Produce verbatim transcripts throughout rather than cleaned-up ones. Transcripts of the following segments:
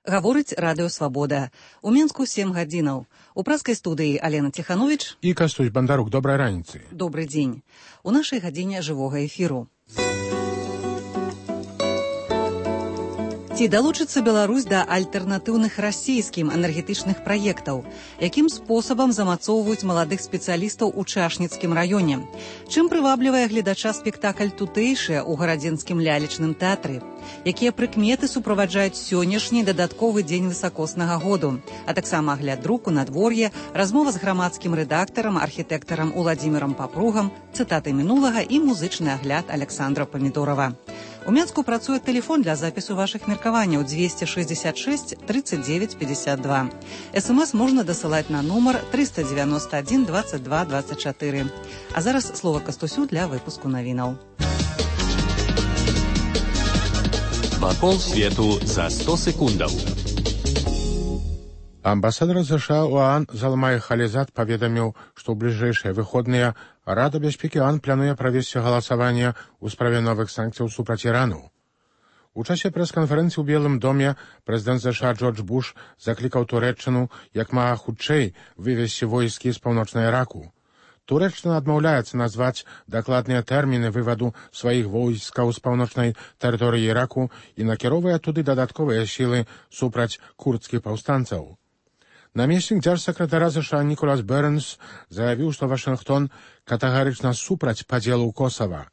Гаворыць радыё «Свабода». У Мінску сем гадзінаў. У праскай студыі Алена Тиханович і Кастусь Бандарук. Добрай раніцы. Добры дзень. У нашай гадзіне жывога эфіру. Ці далучыцца Беларусь да альтэрнатыўных расійскім энергетычных праектаў? Якім спосабам замацоўваюць маладых спецыялістаў у Чашніцкім раёне? Чым прываблівае гледача спектакль «Тутэйшыя» у гарадзенскім лялечным тэатры? Якія прыкметы суправаджаюць сённяшні дадатковы дзень высакоснага году? А таксама агляд друку, надвор'е, размова з грамадскім рэдактарам, архітэктарам Уладзімірам Папругам, цытаты мінулага і музычны агляд Александра Памідорова. У Мінску працуе тэлефон для запісу вашых меркаванняў двести шестьдесят шесть тридцать девять пятьдесят два. СМС можна дасылаць на нумар триста девяносто один двадцать два двадцать четыре. А зараз слова Кастусю для выпуску навінаў. Вакол свету за сто секундаў. Амбасадар США ў ААН Залмай Халізад паведаміў, што ў бліжэйшыя выходныя Рада бяспекі ААН плануе правесці галасаванне ў справе новых санкцыяў супраць Ірану. У часе прэс-канферэнцыі ў Белым доме прэзідэнт США Джордж Буш заклікаў Турэччыну як мага хутчэй вывесці войскі з паўночнага Іраку. Турэччына адмаўляецца назваць дакладныя тэрміны вываду сваіх войскаў з паўночнай тэрыторыі Іраку і накіроўвае туды дадатковыя сілы супраць курдскіх паўстанцаў. Намеснік дзяржсакратара США Ніколас Бернс заявіў, што Вашынгтон катэгарычна супраць падзелу Косава.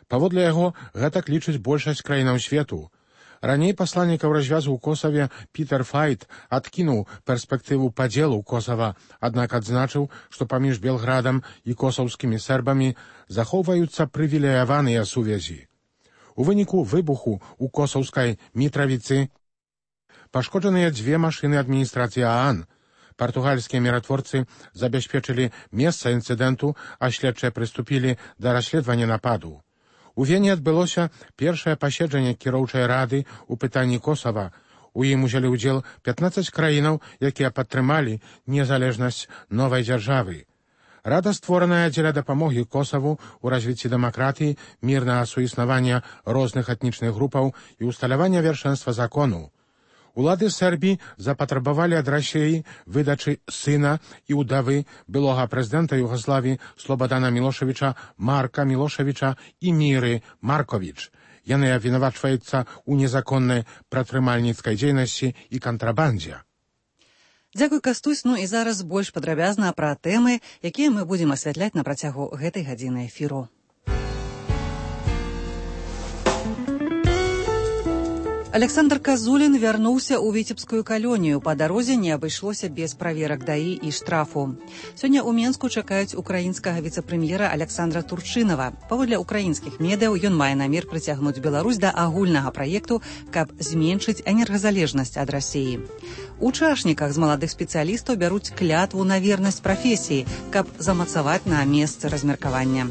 Паводле яго, гэтак лічыць большасць краінаў свету. Раней пасланнікаў развязу ў Косаве Пітер Файт адкінуў перспектыву падзелу Косава, аднак адзначыў, што паміж Белградам і косаўскімі сербамі захоўваюцца прывілеяваныя сувязі. У выніку выбуху ў косаўскай Мітравіцы пашкоджаныя дзве машыны адміністрацыі ААН. Партугальскія міратворцы забяспечылі месца інцыдэнту, а следчыя прыступілі да расследавання нападу. У Вене адбылося першае паседжанне кіроўчай рады ў пытанні Косава. У ім узялі ўдзел пятнаццаць краінаў, якія падтрымалі незалежнасць новай дзяржавы. Рада створаная дзеля дапамогі Косаву ў развіцці дэмакратыі, мірнага суіснавання розных этнічных групаў і усталявання вершэнства закону. Улады Сербіі запатрабавалі ад Расіі выдачы сына і ўдавы былога прэзідэнта Югаславіі Слободана Мілошевіча Марка Мілошевіча і Міры Марковіч. Яны абвінавачваюцца ў незаконнай прадпрымальніцкай дзейнасці і кантрабандзе. Дзякуй, Кастусь. Ну і зараз больш падрабязна пра тэмы, якія мы будзем асвятляць на працягу гэтай гадзіны эфіру. Александр Казулін вярнуўся ў віцебскую калонію. Па дарозе не абышлося без праверак даі і штрафу. Сёння ў Мінску чакаюць украінскага віцэ-прэм'ера Александра Турчынава. Паводле украінскіх медыяў ён мае намер прыцягнуць Беларусь да агульнага праекту, каб зменшыць энергазалежнасць ад Расіі. У Чашніках з маладых спецыялістаў бяруць клятву на вернасць прафесіі, каб замацаваць на месцы размеркавання.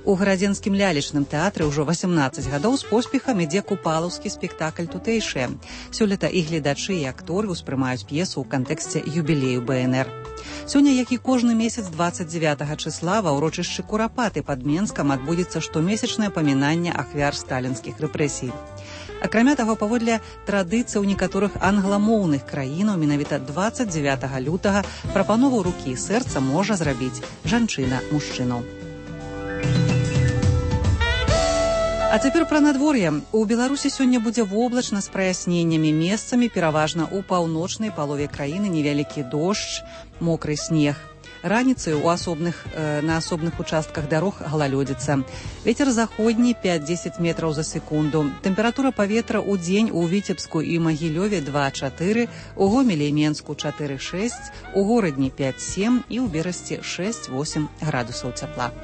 У гарадзенскім лялечным тэатры ўжо васямнаццаць гадоў з поспехам ідзе купалаўскі спектакль «Тутэйшыя». Сёлета і гледачы, і акторы ўспрымаюць п'есу ў кантэксце юбілею БНР. Сёння, як і кожны месяц двадцать девятага числа, ва ўрочышчы Курапаты пад Менскам адбудзецца штомесячнае памінанне ахвяр сталінскіх рэпрэсій. Акрамя таго, паводле традыцый у некаторых англамоўных краінаў менавіта двадцать девятага лютага прапанову рукі і сэрца можа зрабіць жанчына мужчыну. А цяпер пра надвор'е. У Беларусі сёння будзе воблачна з праясненнямі, месцамі пераважна ў паўночнай палове краіны невялікі дождж, мокры снег. Раніцай у асобных, э, на асобных участках дарог галалёдзіца. Вецер заходні пять-десять метраў за секунду. Тэмпература паветра ў дзень у Віцебску і Магілёве два-чатыры, у Гомелі і Менску чатыры-шэсць, у горадні пять-сем і ў Берасці шэсць-восем градусаў цяпла.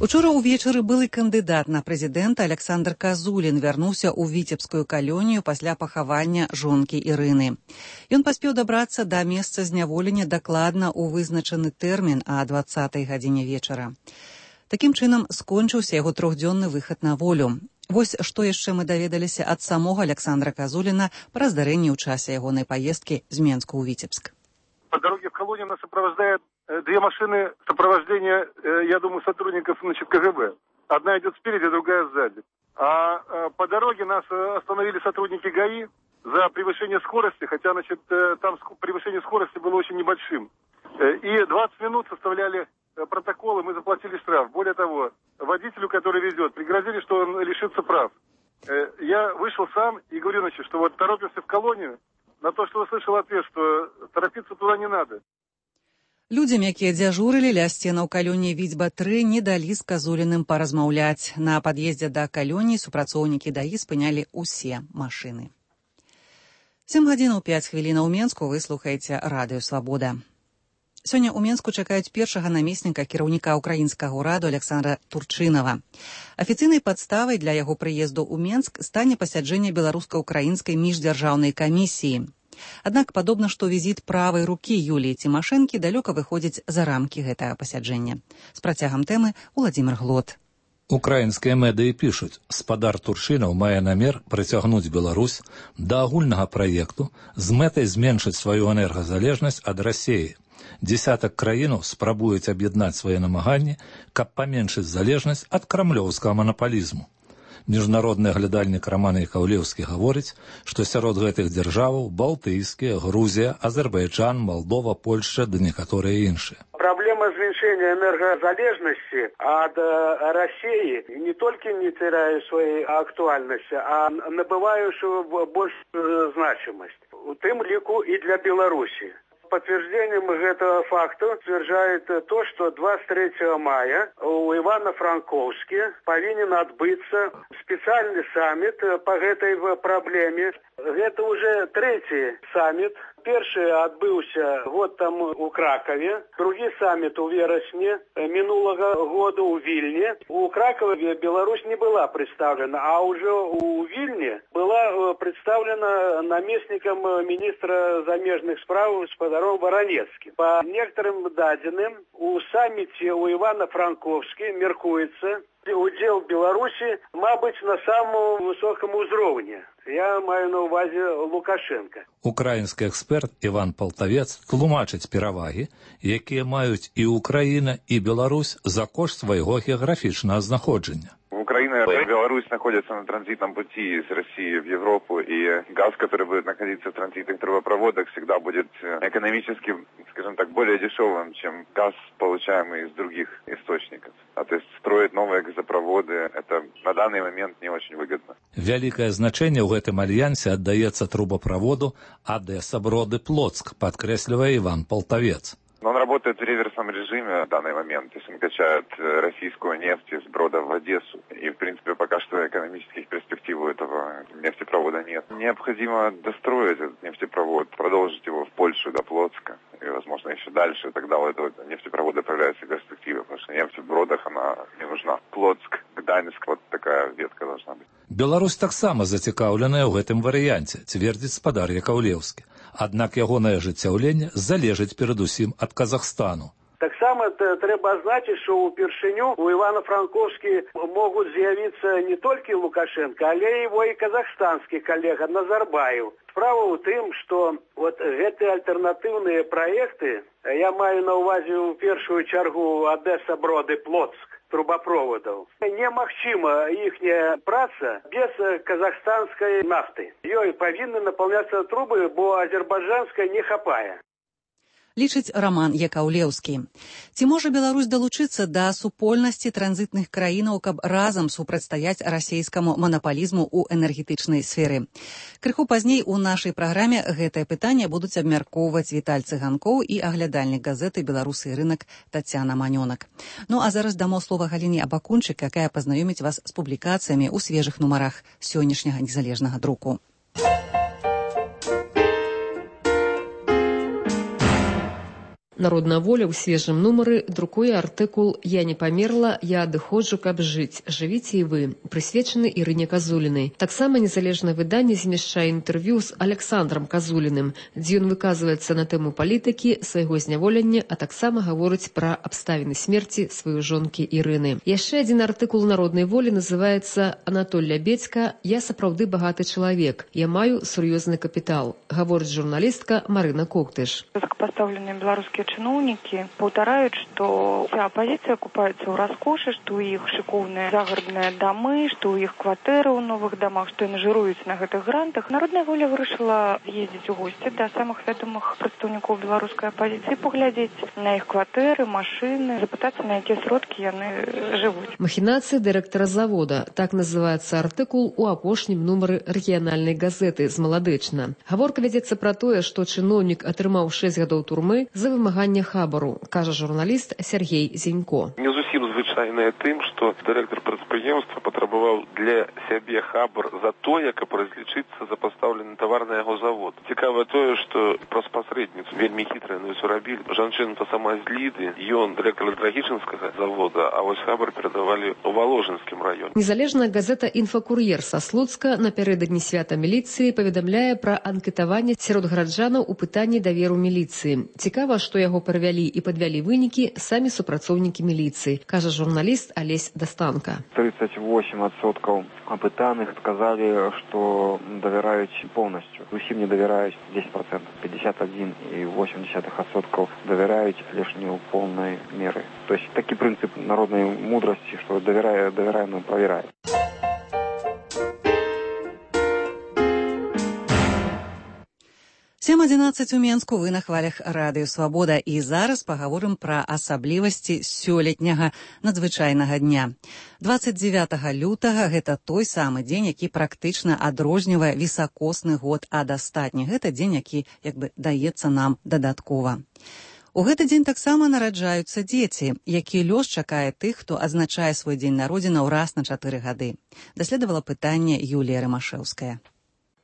Учора ўвечары былы кандыдат на прэзідэнта Александр Казулін вярнуўся ў віцебскую калонію пасля пахавання жонкі Ірыны. Ён паспеў дабрацца да месца зняволення дакладна ў вызначаны тэрмін а дваццатай гадзіне вечара. Такім чынам скончыўся яго трохдзённы выхад на волю. Вось што яшчэ мы даведаліся ад самога Александра Казуліна пра здарэнні ў часе ягонай паездкі з Менску ў Віцебск. По дороге в колонию нас сопровождает две машины сопровождения, я думаю, сотрудников, значит, КГБ. Одна идет спереди, другая сзади. А по дороге нас остановили сотрудники ГАИ за превышение скорости, хотя, значит, там превышение скорости было очень небольшим. И двадцать минут составляли протоколы, мы заплатили штраф. Более того, водителю, который везет, пригрозили, что он лишится прав. Я вышел сам и говорю, значит, что вот торопимся в колонию, на то, что услышал ответ, что торопиться туда не надо. Людзям, якія дзяжурылі ля сценаў калоніі Віцьба тры, не далі з Казуліным паразмаўляць. На пад'ездзе да калоніі супрацоўнікі ДАІ спынялі ўсе машыны. сем гадзінаў пяць хвілінаў у Менску, вы слухаеце радыё «Свабода». Сёння ў Менску чакаюць першага намесніка кіраўніка ўкраінскага ўраду Александра Турчынава. Афіцыйнай падставай для яго прыезду ў Менск стане пасяджэнне беларуска-украінскай міждзяржаўнай камісіі. Аднак падобна, што візіт правай рукі Юліі Цімашэнкі далёка выходзіць за рамкі гэтага пасяджэння. З працягам тэмы Уладзімір Глот. Украінскія медыі пішуць, спадар Турчынаў мае намер прыцягнуць Беларусь да агульнага праекту з мэтай зменшыць сваю энергазалежнасць ад Расіі. Десятак краінаў спрабуюць аб'яднаць свае намаганні, каб паменшыць залежнасць ад крамлёўскага манапалізму. Міжнародны глядальнік Роман Якаўлеўскі гаворыць, што сярод гэтых дзяржаваў Балтыйскія, Грузія, Азербайджан, Молдова, Польша ды некаторыя іншыя. Проблема зменшения энергозалежности от России не только не теряет своей актуальности, а набывает большую значимость. В том лику и для Беларуси. Подтверждением этого факта утверждает то, что двадцать третьего мая у Ивано-Франковске повинен отбыться специальный саммит по этой проблеме. Это уже третий саммит. Перший отбылся вот там у Кракове, другий саммит у вересня минулого года у Вильне. У Кракова Беларусь не была представлена, а уже у Вильне была представлена наместником министра замежных справ господаром Воронецким. По некоторым данным, у саммите у Ивано-Франковске меркуется удел Беларуси, мабуть, на самом высоком уровне. Я маю на увазі Лукашенка. Украінскі експерт Іван Полтавец тлумачыць перавагі, якія маюць і Украіна, і Беларусь за кошт свайго геаграфічнага знаходжання. Украина и Беларусь находятся на транзитном пути из России в Европу, и газ, который будет находиться в транзитных трубопроводах, всегда будет экономически, скажем так, более дешевым, чем газ, получаемый из других источников. А то есть строить новые газопроводы, это на данный момент не очень выгодно. Вялікае значэнне ў гэтым альянсе аддаецца трубопроводу Одесса-Броды-Плотск, подкресливая Иван Полтавец. Но он работает в реверсном режиме в данный момент. То есть он качает российскую нефть из Брода в Одессу. И, в принципе, пока что экономических перспектив у этого нефтепровода нет. Необходимо достроить этот нефтепровод, продолжить его в Польшу до Плотска. И, возможно, еще дальше. Тогда у этого нефтепровода появляются перспективы. Потому что нефть в Бродах, она не нужна. Плотск, Гданьск, вот такая ветка должна быть. Беларусь таксама зацікаўленая ў гэтым варыянце, цвердзіць спадар Якаўлеўскі. Аднак ягонае ажыццяўленне залежыць перадусім ад Казахстану. Так само треба отзначить, что упершиню у Ивано-Франковски могут з'явиться не только Лукашенко, але его и казахстанский коллега Назарбаев. Справа в том, что вот эти альтернативные проекты, я маю на увазі в першую чергу Одесса-Броды-Плотск, трубопроводов. Немагчыма ихняя праца без казахстанской нафты. Ёй повинны наполняться трубы, бо азербайджанской не хапае. Лічыць Роман Якаўлеўскі. Ці можа Беларусь далучыцца да супольнасці транзітных краінаў, каб разам супрацьстаяць расійскаму манапалізму ў энергетычнай сферы? Крыху пазней у нашай праграме гэтае пытанне будуць абмяркоўваць Віталь Цыганкоў і аглядальнік газеты «Беларусы і рынак» Тацяна Манёнак. Ну а зараз дамо слова Галіне Абакунчык, якая пазнаёміць вас з публікацыямі ў свежых нумарах сённяшняга незалежнага друку. Народная воля ў свежым нумары друкуе артыкул «Я не памерла, я адыходжу, каб жыць. Жывіце і вы», прысвечаны Ірыне Казулінай. Таксама незалежнае выданне змяшчае інтэрв'ю з Александрам Казуліным, дзе ён выказваецца на тэму палітыкі, свайго зняволення, а таксама гаворыць пра абставіны смерці сваёй жонкі Ірыны. Яшчэ адзін артыкул народнай волі называецца «Анатоль Лябедзька. Я сапраўды багаты чалавек. Я маю сур'ёзны капітал», гаворыць журналістка Марына Коктыш. Высокопоставленные белорусские чиновники повторяют, что вся оппозиция купается в роскоши, что у их шиковные загородные дома, что у их квартиры в новых домах, что они жируются на этих грантах. Народная воля вырашила ездить в гости до самых ведомых представников белорусской оппозиции, поглядеть на их квартиры, машины, запытаться, на какие сродки они живут. Махинации директора завода. Так называется артыкул у апошнім нумары рэгіянальнай газеты з Маладэчна. Гаворка вядзецца пра тое, што чыноўнік атрымаў шэсць гадоў турмы за вымаганне хабару, кажа журналіст Сергей Зенько. Не зусім звычайнае тым, што дырэктар прадпрыемства патрабаваў для сябе хабар за тое, каб разлічыцца за пастаўлены тавар на яго завод. Цікава тое, што праз пасрэдніцу вельмі хітрая на ўсё рабілі. Жанчына-то сама з Ліды, ён дырэктар Драгічынскага завода, а вось хабар перадавалі ў Воложынскім раёне. Незалежная газета «Інфакур'ер» са Слуцка напярэдадні свята міліцыі паведамляе пра анкетаванне сярод гараджанаў у пытанні даверу міліцыі. Цікава, што яго правялі і падвялі вынікі самі супрацоўнікі міліцыі, кажа журналіст Алесь Дастанка. тридцать восемь адсоткаў апытаных сказалі, што давяраюць поўнасцю. Зусім не давяраюць десять процентов, пятьдесят один и восемь десятых адсоткаў давяраюць, але ж не ў поўнай меры. То есть такі прынцып народнай мудрасці, што давярае, давяраем, правярае. сем адзінаццаць у Менску, вы на хвалях радыё «Свабода». І зараз пагаворым пра асаблівасці сёлетняга надзвычайнага дня. дваццаць дзевятага лютага гэта той самы дзень, які практычна адрознівае вісакосны год ад астатніх. Гэта дзень, які як бы даецца нам дадаткова. У гэты дзень таксама нараджаюцца дзеці, які лёс чакае тых, хто адзначае свой дзень народзінаў раз на чатыры гады. Даследавала пытанне Юлія Рымашэўская.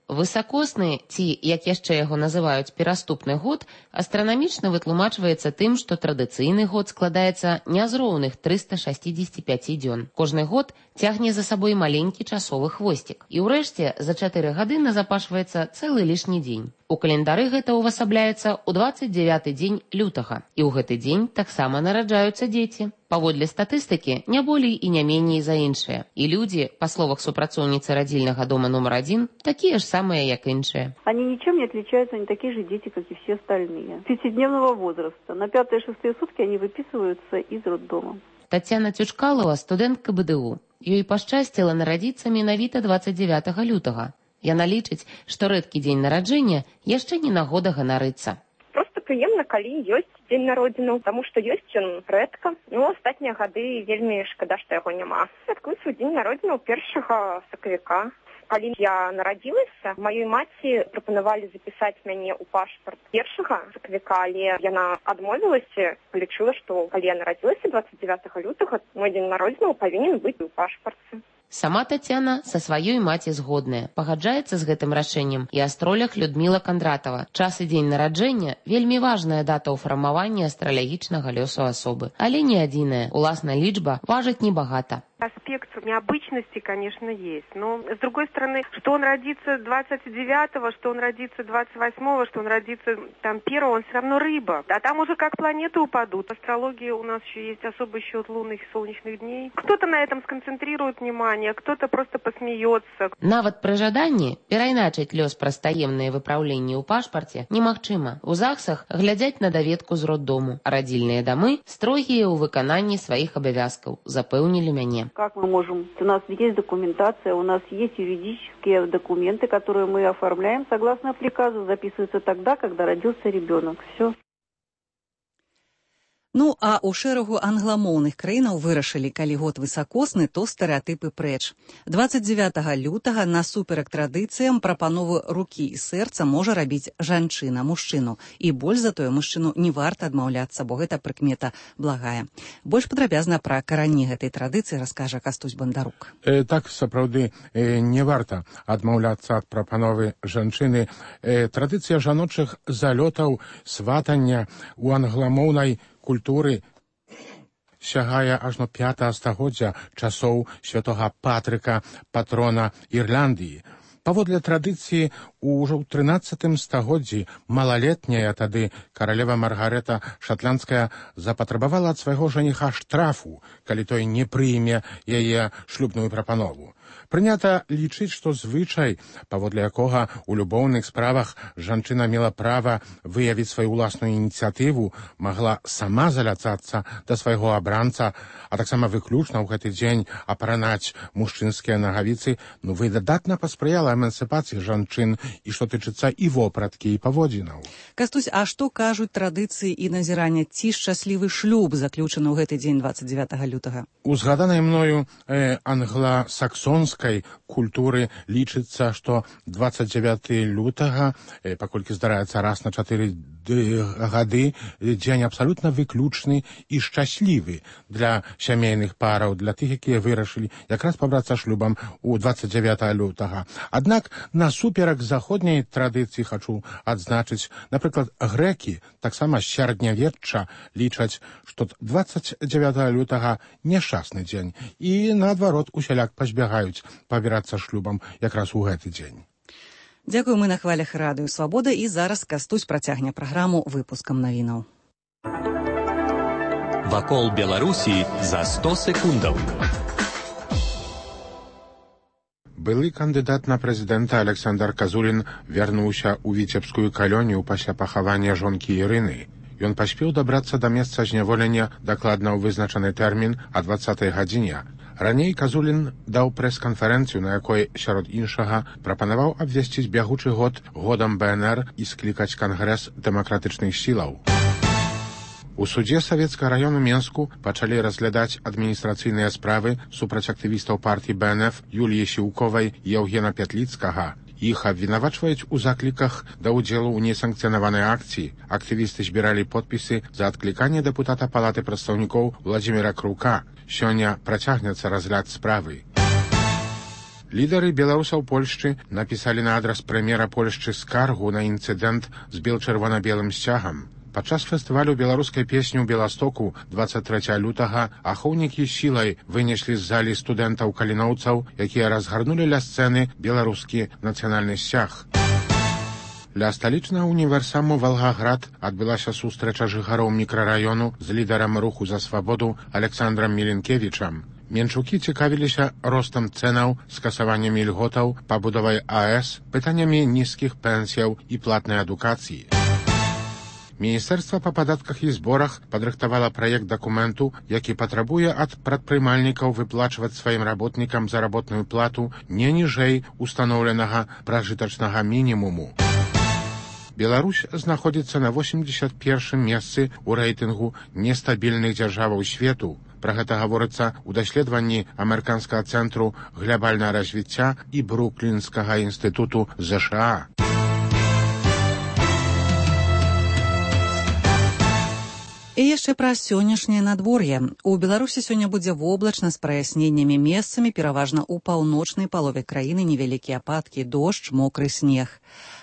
Высакосны, ці, як яшчэ яго называюць, пераступны год, астранамічна вытлумачваецца тым, што традыцыйны год складаецца не з роўных трыста шэсцьдзесят пяць дзён. Кожны год цягне за сабой маленькі часовы хвосцік. І ўрэшце за чатыры гады назапашваецца цэлы лішні дзень. У календары гэта ўвасабляецца ў дваццаць дзевяты дзень лютага. І ў гэты дзень таксама нараджаюцца дзеці. Паводле статыстыкі, не болей і не меней за іншыя. І людзі, па словах супрацоўніцы радзільнага дома номер один, такія ж самыя, як іншыя. Они ничем не отличаются, они такие же дети, как и все остальные. Пятидневного возраста. На пятые-шестые сутки они выписываются из роддома. Тацяна Цючкалова, студэнтка бэ дэ у. Ёй пашчасціла нарадзіцца менавіта дваццаць дзевятага лютага. Яна лічыць, што рэдкі дзень нараджэння яшчэ не нагода ганарыцца. Просто прыемна, калі ёсць дзень народзінаў, таму што ёсць ён рэдка. Ну, астатнія гады вельмі шкада, што яго няма. Святкую свой дзень народзінаў першага сакавіка. Калі я нарадзілася, маёй маці прапанавалі запісаць мяне ў пашпарт першага сакавіка, але яна адмовілася, лічыла, што калі я нарадзілася дваццаць дзевятага лютага, мой дзень народзінаў павінен быць у пашпарце. Сама Тацяна са сваёй маці згодная. Пагаджаецца з гэтым рашэннем і астролях Людміла Кандратова. Час і дзень нараджэння – вельмі важная дата ў фармаванні астралягічнага лёсу асобы. Але не адзіная. Уласна лічба важыць небагата. Аспект необычности, конечно, есть. Но, с другой стороны, что он родится двадцать девятого, что он родится двадцать восьмого, что он родится там первого, он все равно рыба. А там уже как планеты упадут. В астрологии у нас еще есть особый счет лунных и солнечных дней. Кто-то на этом сконцентрирует внимание, кто-то просто посмеется. Нават пры жаданні перайначыць лёс праз таемныя выпраўленні ў пашпарце немагчыма. У ЗАГСах глядзяць на даведку з роддому. А радзільныя дамы строгія ў выкананні сваіх абавязкаў, запэўнілі мяне. Как мы можем? У нас есть документация, у нас есть юридические документы, которые мы оформляем согласно приказу, записываются тогда, когда родился ребенок. Все. Ну, а ў шэрагу англамоўных краінаў вырашылі, калі год высакосны, то стэрэатыпы прэч. дваццаць дзевятага лютага насуперак традыцыям прапанову рукі і сэрца можа рабіць жанчына мужчыну. І больш за тое мужчыну не варта адмаўляцца, бо гэта прыкмета благая. Больш падрабязна пра карані гэтай традыцыі раскажа Кастусь Бандарук. Э, так, сапраўды, э, не варта адмаўляцца ад прапановы жанчыны. Э, традыцыя жаночых залётаў, сватання у англамоўнай культуры сягае ажно пятага стагоддзя часоў святога Патрыка, патрона Ірландыі. Паводле традыцыі, ўжо ў трынаццатым стагоддзі малалетняя тады каралева Маргарэта Шатландская запатрабавала ад свайго жаніха штрафу, калі той не прыме яе шлюбную прапанову. Прынята лічыць, што звычай, паводле якога ў любоўных справах жанчына мела права выявіць сваю ўласную ініцыятыву, магла сама заляцацца да свайго абранца, а таксама выключна ў гэты дзень апранаць мужчынскія нагавіцы, ну выдатна паспрыяла эмансіпацыі жанчын і што тычыцца і вопраткі, і паводзінаў. Кастусь, а што кажуць традыцыі і назірання, ці шчаслівы шлюб заключаны ў гэты дзень дваццаць дзевятага лютага? У згаданай мною э, англасаксонскай культуры лічыцца, што дваццаць дзевятага лютага, э, паколькі здараецца раз на чатыры гады, дзень абсалютна выключны і шчаслівы для сямейных параў, для тых, якія вырашылі якраз пабрацца шлюбам у дваццаць дзевятага лютага. Аднак, насуперак заходняй традыцыі хачу адзначыць, напрыклад, грэкі, таксама з сярэднявечча, лічаць, што дваццаць дзевятага лютага няшчасны дзень, і, наадварот, усяляк пазбягаюць пабірацца шлюбам якраз у гэты дзень. Дзякую, мы на хвалях радыё Свабода, і зараз Кастусь працягне праграму выпускам навінаў. Вакол Беларусі за сто секундаў. Былы кандыдат на прэзідэнта Александр Казулін вярнуўся ў віцебскую калонію пасля пахавання жонкі Ірыны. Ён паспеў дабрацца да месца зняволення дакладна ў вызначаны тэрмін о дваццатай гадзіне. Раней Казулін даў прэс-канферэнцыю, на якой, сярод іншага, прапанаваў абвясціць бягучы год годам Бэ Эн Эр і склікаць кангрэс дэмакратычных сілаў. У судзе Савецкага раёну Менску пачалі разглядаць адміністрацыйныя справы супраць актывістаў партыі Бэ Эн Эф Юліі Сіўковай і Яўгена Пятліцкага. Іх абвінавачваюць у закліках да ўдзелу ў несанкцыянаванай акцыі. Актывісты збіралі подпісы за адкліканне дэпутата Палаты прадстаўнікоў Владзіміра Крука. Сёння працягнецца разгляд справы. Лідары беларусаў Польшчы напісалі на адрас прэм'ера Польшчы скаргу на інцыдэнт з бел-чырвона-белым сцягам. Падчас фестывалю беларускай песні ў Беластоку дваццаць трэцяга лютага ахоўнікі сілай вынеслі з залі студэнтаў-каліноўцаў, якія разгарнулі ля сцэны беларускі нацыянальны сцяг. Ля сталічнага універсаму Валгаград адбылася сустрэча жыхароў мікрараёну з лідарам руху за свабоду Александрам Міленкевічам. Менчукі цікавіліся ростам цэнаў, скасаваннямі льготаў, пабудовай А Эс, пытаннямі нізкіх пенсіяў і платнай адукацыі. Міністэрства па падатках і зборах падрыхтавала праект дакументу, які патрабуе ад прадпрымальнікаў выплачваць сваім работнікам заработную плату не ніжэй устаноўленага пражытачнага мінімуму. Беларусь знаходзіцца на восемьдесят першым месцы ў рэйтынгу нестабільных дзяржаваў свету. Пра гэта гаворыцца ў даследаванні амерыканскага цэнтру глябальнага развіцця і Бруклінскага інстытуту Зэ Ша А. І яшчэ пра сённяшняе надвор'е. У Беларусі сёння будзе воблачна з праясненнямі месцамі, пераважна ў паўночнай палове краіны невялікія ападкі, дождж, мокры снег.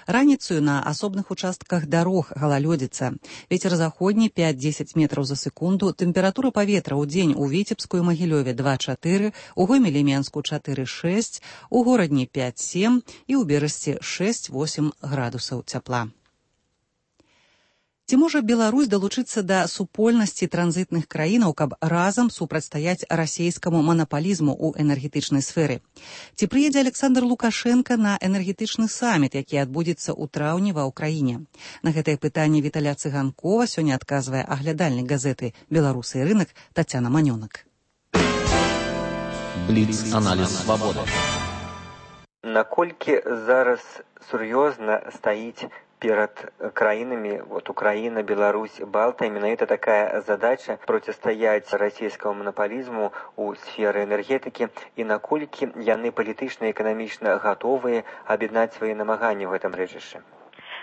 Раніцаю на асобных участках дарог галалёдзіца. Вецер заходні пяць-дзесяць метраў за секунду. Тэмпература паветра ў дзень у Віцебску і Магілёве два-чатыры, у Гомелі-Менску чатыры-шэсць, у горадні пяць-сем і ў Берасці шэсць-восем градусаў цяпла. Ці можа Беларусь далучыцца да супольнасці транзітных краінаў, каб разам супрацьстаяць расейскаму манапалізму ў энергетычнай сферы? Ці прыедзе Александр Лукашенко на энергетычны саміт, які адбудзецца ў траўні ва ўкраіне? На гэтае пытанне Віталя Цыганкова сёння адказвае аглядальнік газеты «Беларусы і рынак» Тацяна Манёнак. Бліц-аналіз «Свабода». Наколькі зараз сур'ёзна стаіць перед краінамі, вот Украина, Беларусь, Балта, менавіта такая задача противостоять российскому монополизму у сферы энергетики, и наколькі яны палітычна і эканамічна готовыя аб'яднаць свои намаганні в этом рэчышчы?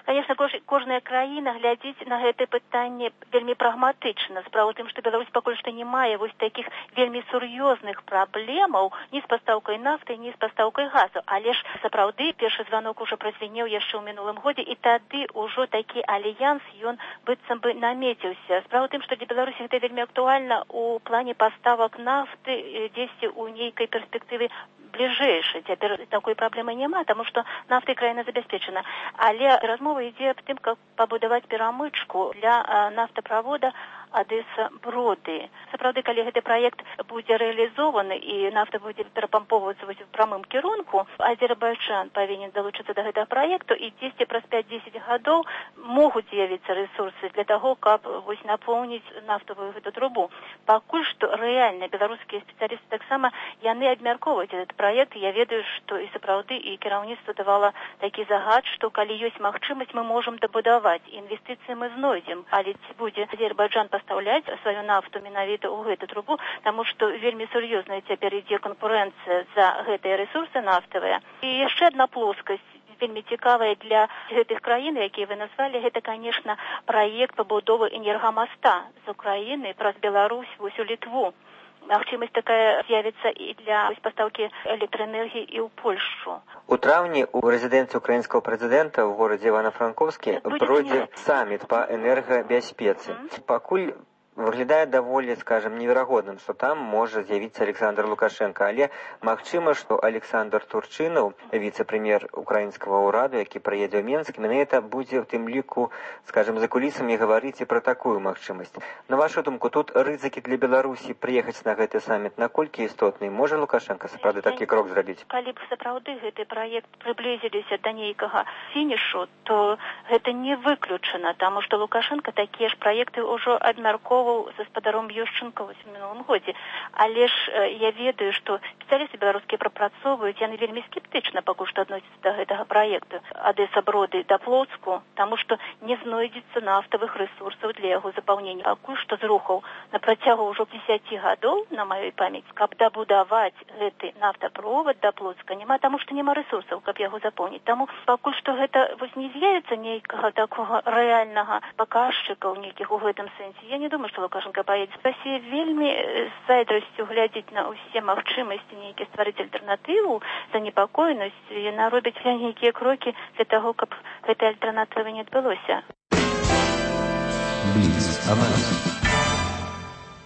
Конечно, кожная краіна глядзіць на гэта пытанне вельмі прагматычна. Справа ў тым, што Беларусь пакуль што не мае вось такіх вельмі сур'ёзных праблемаў ні з пастаўкай нафты, ні з пастаўкай газу. Але ж сапраўды першы званок ужо празвінеў яшчэ ў мінулым годзе, і тады ўжо такі альянс ён быццам бы намеціўся. Справа ў тым, што для Беларусі гэта вельмі актуальна у плане паставак нафты дзесьці ў нейкай перспектыве бліжэйшай. Цяпер такой праблемы няма, таму што нафтай краіна забяспечана. Але размова ідзе аб тым, каб пабудаваць перамычку для нафтаправода Адэса-Броды. Сапраўды, калі гэты праект будзе рэалізованы і нафта будзе перапампоўвацца ў прамым кірунку, Азербайджан павінен далучыцца да гэтага праекту, і дзесьці праз пяць-дзесяць гадоў могуць з'явіцца рэсурсы для таго, каб вось напоўніць нафтавую гэту трубу. Пакуль што рэальна беларускія спецыялісты таксама яны абмяркоўваюць этот праект. Я ведаю, што і сапраўды і кіраўніцтва давала такі загад, што калі ёсць магчымасць, мы можам дабудаваць. Інвестыцыі мы знойдзем, але ці будзе Азербайджан пастаўляць сваю нафту менавіта ў гэту трубу, таму што вельмі сур'ёзная цяпер ідзе канкурэнцыя за гэтыя рэсурсы нафтавыя. І яшчэ адна плоскасць вельмі цікавая для гэтых краін, якія вы назвалі, гэта, конечно, праект пабудовы энергамаста з Украіны праз Беларусь вось у Літву. Магчымасць такая з'явіцца і для пастаўкі электраэнергіі і ў Польшчу. У траўні у рэзідэнцыі украінскага прэзідэнта ў горадзе Івана-Франкоўскі пройдзе саміт па энергабяспецы. Пакуль выглядае даволі, скажем, неверагодным, што там можа з'явіцца Александр Лукашенко, але магчыма, што Александр Турчынаў, віцэ-прэм'ер украінскага ўраду, які прыедзе ў Менск, менавіта будзе ў тым ліку, скажем, за кулісамі гаварыць і пра такую магчымасць. На вашу думку, тут рызыкі для Беларусі прыехаць на гэты саміт наколькі істотны? Можа Лукашенко сапраўды такі крок зрабіць? Калі б сапраўды гэты праект прыблізіліся да нейкага фінішу, то гэта не выключана, таму што Лукашенко такія ж праекты ўжо абмяркоўваў са спадаром Ющенко ў мінулым годзе. Але ж я ведаю, што спецыялісты беларускія прапрацоўваюць, яны вельмі скептычна пакуль што адносяцца да гэтага праекту Адэса-Броды да Плоцку, таму што не знойдзецца нафтавых рэсурсаў для яго запаўнення. Пакуль што з рухаў на працягу ўжо дзесяці гадоў, на маёй памяць, каб дабудаваць гэты нафтаправод да Плоцка няма, таму што няма рэсурсаў, каб яго запоўніць. Таму пакуль што гэта вось не з'явіцца нейкага такога рэальнага паказчыка ў нейкіх у гэтым сэнсе. Я не думаю, што Лукашенко поедет. Россия вельмі з зайздрасцю глядзіць на ўсе магчымасці нейкі стварыць альтэрнатыву, занепакоенасць, і яна робіць нейкія крокі для таго, каб гэтай альтэрнатывы не адбылося.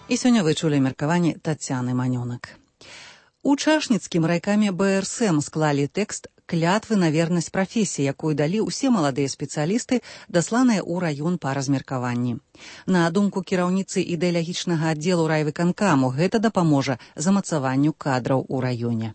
І сёння вы чулі меркаванне Тацяны Манёнак. У Чашніцкім райкаме бэ эр эс эм склалі тэкст клятвы на вернасць прафесіі, якую далі ўсе маладыя спецыялісты, дасланыя ў раён па размеркаванні. На думку кіраўніцы ідэалагічнага аддзелу райвыканкаму, гэта дапаможа замацаванню кадраў у раёне.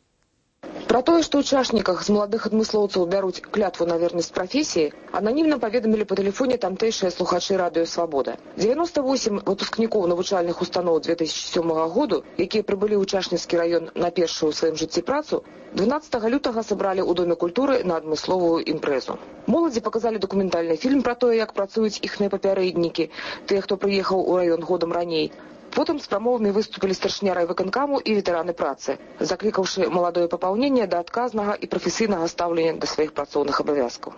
Пра тое, што ў Чашніках з маладых адмыслоўцаў бяруць клятву на вернасць прафесіі, ананімна паведамілі па тэлефоне тамтэйшыя слухачы радыё «Свабода». дзевяноста восем выпускнікоў навучальных устаноў две тысячи сёмага году, якія прыбылі ў Чашніцкі раён на першую ў сваім жыцці працу, дванаццатага лютага сабралі ў Доме культуры на адмысловую імпрэзу. Моладзі паказалі дакументальны фільм пра тое, як працуюць іхныя папярэднікі, тыя, хто прыехаў у раён годам раней. Потым з прамовамі выступілі старшыня райвыканкаму і ветэраны працы, заклікаўшы маладое папаўненне да адказнага і прафесійнага стаўлення да сваіх працоўных абавязкаў.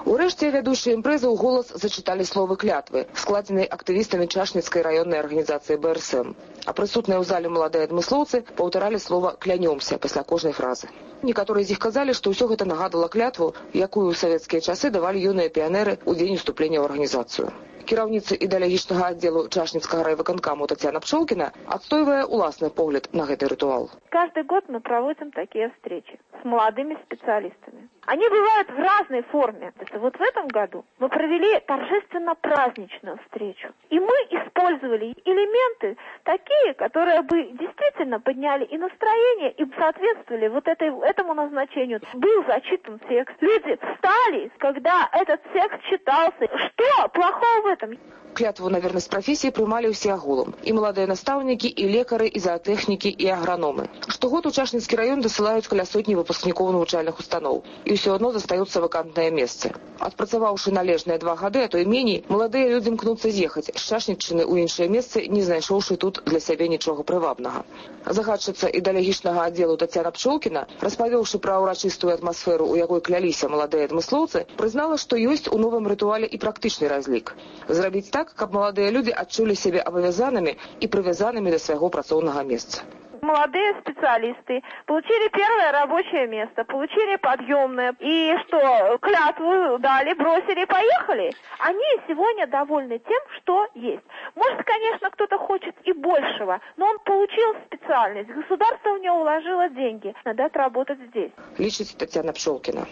Урэшце вядучыя імпрэзы ў голас зачыталі словы клятвы, складзенай актывістамі Чашніцкай раённай арганізацыі бэ эр эс эм. А прысутныя ў зале маладыя адмыслоўцы паўтаралі слова «клянёмся» пасля кожнай фразы. Некаторыя з іх казалі, што ўсё гэта нагадвала клятву, якую ў савецкія часы давалі юныя піянеры ў дзень уступлення ў арганізацыю. Кіраўніца ідэалагічнага аддзелу Чашніцкага райвыканкаму Татьяна Пшолкина отстаивая уласный погляд на этот ритуал. Каждый год мы проводим такие встречи с молодыми специалистами. Они бывают в разной форме. Это вот в этом году мы провели торжественно-праздничную встречу. И мы использовали элементы такие, которые бы действительно подняли и настроение, и соответствовали вот этой, этому назначению. Был зачитан текст. Люди встали, когда этот текст читался. Что плохого в этом? Клятву на верность профессии приймали все агулом. И молодые наставники, и лекары, и зоотэхнікі, и аграномы. Штогод у Чашніцкі раён дасылаюць каля сотні выпускнікоў навучальных устаноў, і ўсё адно застаюцца вакантныя месцы. Адпрацаваўшы належныя два гады, а то і меней, маладыя людзі імкнуцца з'ехаць з Чашніччыны ў іншыя месцы, не знайшоўшы тут для сябе нічога прывабнага. Загадчыца ідэалагічнага аддзелу Тацяна Пчолкіна, распавёўшы пра ўрачыстую атмасферу, у якой кляліся маладыя адмыслоўцы, прызнала, што ёсць у новым рытуале і практычны разлік. Зрабіць так, каб маладыя людзі адчулі сябе абавязанымі і прывязанымі да свайго працоўнага месца. Молодые специалисты получили первое рабочее место, получили подъемное, и что, клятву дали, бросили, поехали. Они сегодня довольны тем, что есть. Может, конечно, кто-то хочет и большего, но он получил специальность, государство в него уложило деньги, надо отработать здесь. Лічыць Тацяна Пчолкіна.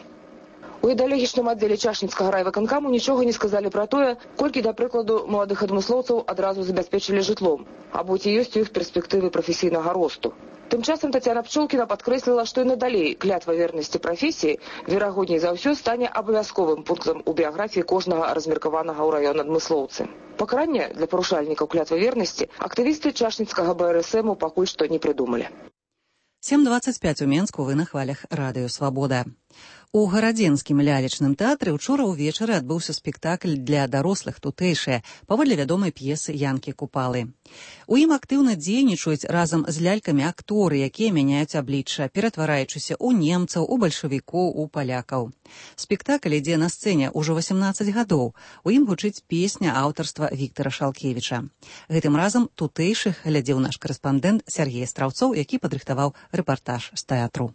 У ідэалагічным аддзеле Чашніцкага райвыканкаму нічога не сказалі пра тое, колькі, да прыкладу, маладых адмыслоўцаў адразу забяспечылі жытлом, або ці ёсць у іх перспектывы прафесійнага росту. Тым часам Тацяна Пчолкіна падкрэсліла, што і надалей клятва вернасці прафесіі, верагодней за ўсё, стане абавязковым пунктам у біяграфіі кожнага размеркаванага ў раён адмыслоўцы. Пакаранне для парушальнікаў клятвы вернасці актывісты Чашніцкага бэ эр эс эму пакуль што не прыдумалі. сем двадцать пять у Менску, вы на хвалях Радыё Свабода. У гарадзенскім лялечным тэатры ўчора ўвечары адбыўся спектакль для дарослых тутэйшыя паводле вядомай п'есы Янкі Купалы. У ім актыўна дзейнічаюць разам з лялькамі акторы, якія мяняюць аблічча, ператвараючыся ў немцаў, у бальшавікоў, у палякаў. Спектакль ідзе на сцэне ўжо восемнадцаць гадоў. У ім гучыць песня аўтарства Віктара Шалкевіча. Гэтым разам тутэйшых глядзеў наш карэспандэнт Сергей Страўцоў, які падрыхтаваў рэпартаж з тэатру.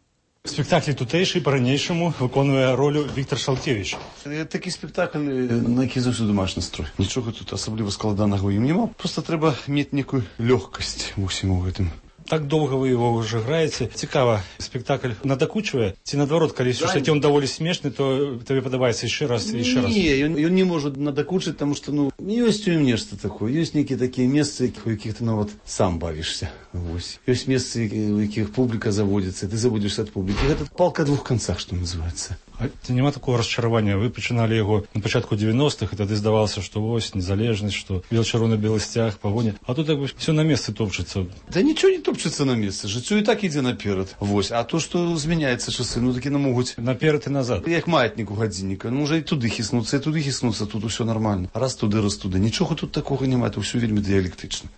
В спектаклі тутэйшы па-ранейшаму выконвае ролю Віктар Шалкевіч. Такі спектакль, на які заўсёды маеш настрой. Нічога тут асабліва складанага ў ім няма. Проста трэба мець некую лёгкасць ва ўсім гэтым. Так доўга вы его уже граеце. Цікава, спектакль надакучвае? Ці наадварот, калі ўсё-таки он даволі смешны, то табе падабаецца яшчэ раз і яшчэ раз? Не, ён, ён не можа надакучыць, таму што, ну, ёсць у ім нешта такое. Ёсць нейкія такія месцы, у якіх ты нават сам бавішся. Вось. Ёсць месцы, у якіх публіка заводзіцца, ты заводзішся ад публікі. Гэта палка двух канцах, што называецца. А няма такого расчаравання? Вы пачыналі яго на пачатку девяностых, і тады здавалася, што вось, незалежнасць, што бел-чырвона-белы сцяг, пагоня. А тут як бы все на месцы топчецца. Да нічого не топчецца на месцы. Жыццё і так ідзе наперад. Вось. А то, што змяняецца часы, ну такі не могуць. Наперад і назад. Як маятнік у гадзінніка. Ну, можа і туды хіснуцца, і туды хіснуцца, тут усё нормально. Раз туды, раз туды. Нічога тут такога няма, это ўсё вельмі дыялектычна.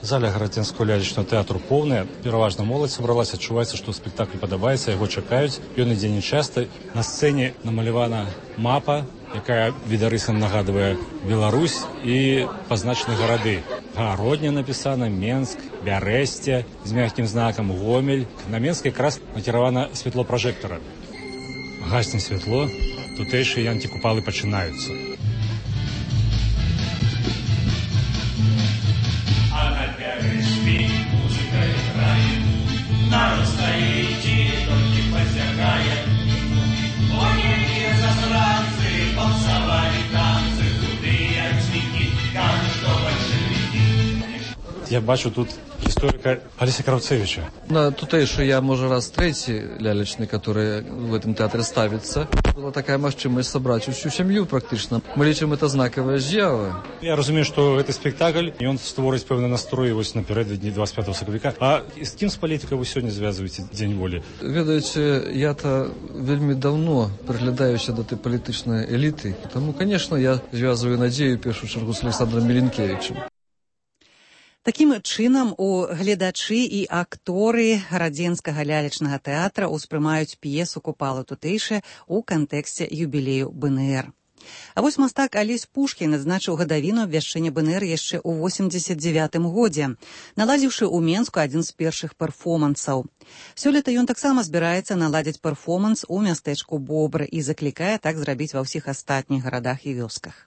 Заля гарадзенского лялечнага тэатру поўная, пераважна моладзь сабралася, адчуваецца, што спектакль падабаецца, яго чакаюць. Ён ідзе нечаста. На сцэне намалявана мапа, якая відарысам нагадвае Беларусь і пазначаны гарады. Гародня напісана, Менск, Бярэсце з мягкім знакам, Гомель. На Менск якраз накіравана святло пражэктара. Гасне святло, тутэйшыя Янкі Купалы пачынаюцца. Народ стоит и только посягает. Ой, какие засранцы, полсовали танцы, худые цветы, кажут, что большевики. Я бачу тут историка Алексея Кравцевича. На тутэйшы я, можа, раз трэці лялечны, который в этом театре ставится. Была такая магчымасць сабраць усю сям'ю практычна. Мы лічым, это знакавая з'ява. Я разумею, што гэты спектакль, і ён створыць пэўны настрой вось напярэдадні двадцать пятого сакавіка. А з кім з палітыкай вы сёння звязваеце дзень волі? Ведаеце, я-то вельмі давно прыглядаюся да той палітычнай эліты. Таму, конечно, я звязваю надзею, першую чаргу, з Александром Меленкевичем. Такім чынам у гледачы і акторы гарадзенскага лялечнага тэатра ўспрымаюць п'есу Купала тутэйшая ў кантэксце юбілею бэ эн эр. А вось мастак Алесь Пушкін адзначыў гадавіну абвяшчэння бэ эн эр яшчэ ў восемьдесят девятым годзе, наладзіўшы ў Менску адзін з першых перформансаў. Сёлета ён таксама збіраецца наладзіць перформанс у мястэчку Бобры і заклікае так зрабіць ва ўсіх астатніх гарадах і вёсках.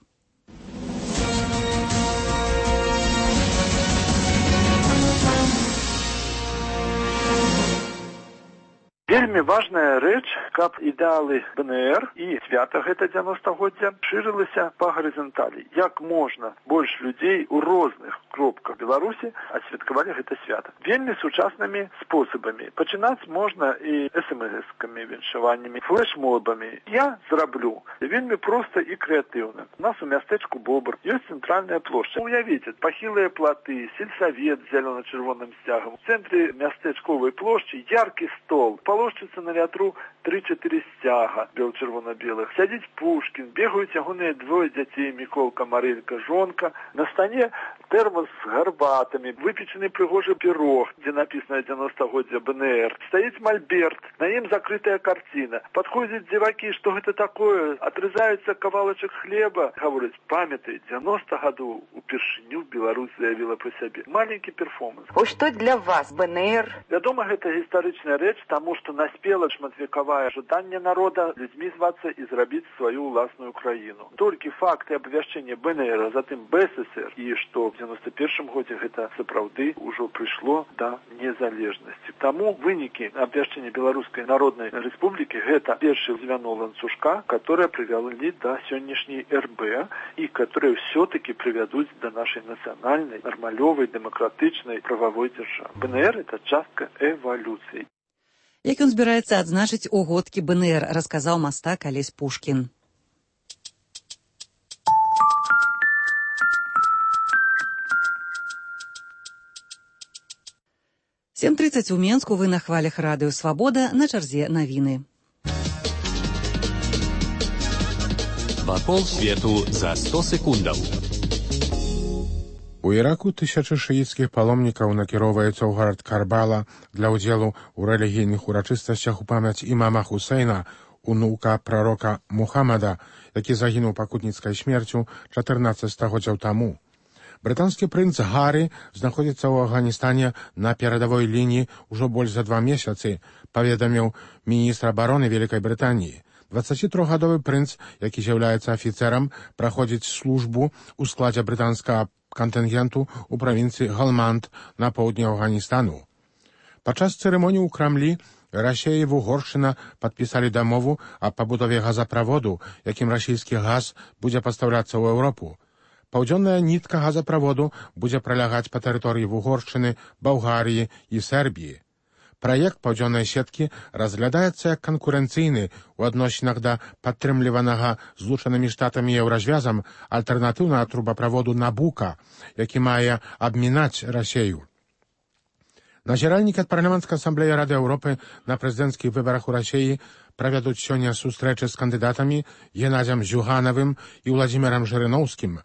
Вельмі Вельмі важная рэч, каб ідэалы БНР і свята гэта дзевяностагоддзя шырылася па гарызанталі. Як можна больш людзей у розных кропках Беларусі адсвяткавалі гэта свята. Вельмі сучаснымі спосабамі. Пачынаць можна і эс эм эс-камі, віншаваннямі, флешмобамі. Я зраблю вельмі проста і крэатыўна. У нас у мястэчку Бобр ёсць цэнтральная плошча. Уявіце, пахілыя платы, сельсавет з зялёна-чырвоным сцягам. У цэнтры мястэчковай плошчы яркі стол. Палошчыцца на вятру тры-чатыры сцяга бел-чырвона-белых. Сядзіць Пушкін, бегаюць ягоныя двое дзяцей, Міколка, Марэлька, жонка. На стане тэрмос з гарбатамі, выпечаны прыгожы пірог, дзе напісана дзевяностагоддзя БНР. Стаіць мальберт, на ім закрытая карціна. Падходзяць дзевакі, што гэта такое? Атрызаюцца кавалачак хлеба. Гавораць, памятай, дзевяноста гадоў упершыню Беларусь заявіла пра сябе. Маленькі перформанс. Ось што для вас БНР? Вядома, гэта гістарычная рэч, таму што наспела шматвекавае жаданне народа людзьмі звацца і зрабіць сваю ўласную краіну. Толькі факты абвяшчэння БНР, а затым БССР, і што в дзевяноста першым годзе гэта сапраўды ўжо прыйшло да незалежнасці. Таму вынікі абвяшчэння Беларускай Народнай Рэспублікі гэта першы звяно ланцужка, которое прывялі да сённяшняй эр бэ і которые все-таки прывядуць да нашай нацыянальнай, нармалёвай, дэмакратычнай прававой дзяржавы. БНР это частка эвалюцыі. Як ён збіраецца адзначыць угодкі БНР, расказаў мастак Алесь Пушкін. сем тридцать у Менску, вы на хвалях радыё Свабода, на чарзе навіны. Вакол свету за сто секундаў. У Іраку тысячы шыіцкіх паломнікаў накіроўваюцца ў горад Карбала для ўдзелу ў рэлігійных урачыстасцях у памяць імама Хусейна, унука прарока Мухаммада, які загінуў пакутніцкай смерцю чатырнаццаць стагоддзяў таму. Брытанскі прынц Гаррі знаходзіцца ў Афганістане на перадавой лініі ўжо больш за два месяцы, паведаміў міністр абароны Вялікай Брытаніі. дваццацітрохгадовы прынц, які з'яўляецца афіцэрам, праходзіць службу ў складзе брытанскага кантынгенту ў правінцыі Галманд на поўдні Афганістану. Падчас цырымоніі ў Крамлі Расія і Угоршчына падпісалі дамову аб пабудове газаправоду, якім расійскі газ будзе пастаўляцца ў Еўропу. Паўдзённая нітка газаправоду будзе пралягаць па тэрыторыі Угоршчыны, Балгарыі і Сербіі. Праект паўдзённай сеткі разглядаецца як канкурэнцыйны ў адносінах да падтрымліванага Злучанымі Штатамі еўразвязам альтэрнатыўнага трубаправоду Набука, які мае абмінаць Расею. Назіральнікі ад парламенцкай асамблеі Рады Еўропы на прэзідэнцкіх выбарах у Расіі правядуць сёння сустрэчы з кандыдатамі Геннадзем Зюганавым і Владзімірам Жырыноўскім.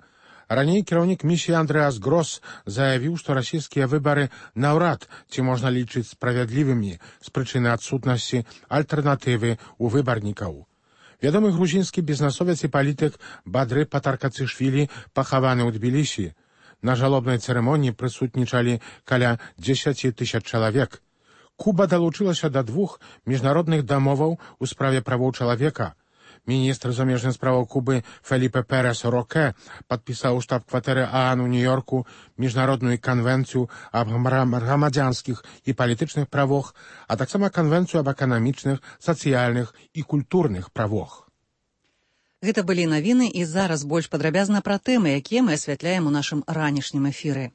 Раней кіраўнік місіі Андрэас Грос заявіў, што расійскія выбары наўрад ці можна лічыць справядлівымі з прычыны адсутнасці альтэрнатывы ў выбарнікаў. Вядомы грузінскі бізнесовец і палітык Бадры Патаркацышвілі пахаваны ў Тбілісі. На жалобнай цырымоніі прысутнічалі каля дзесяці тысяч чалавек. Куба далучылася да двух міжнародных дамоваў у справе правоў чалавека. Міністр замежных справаў Кубы Феліпе Перес Роке падпісаў у штаб-кватэры ААН у Нью-Йорку міжнародную канвенцыю аб грамадзянскіх і палітычных правах, а таксама канвенцыю аб эканамічных, сацыяльных і культурных правах. Гэта былі навіны, і зараз больш падрабязна пра тэмы, якія мы асвятляем у нашым ранішнім эфіры.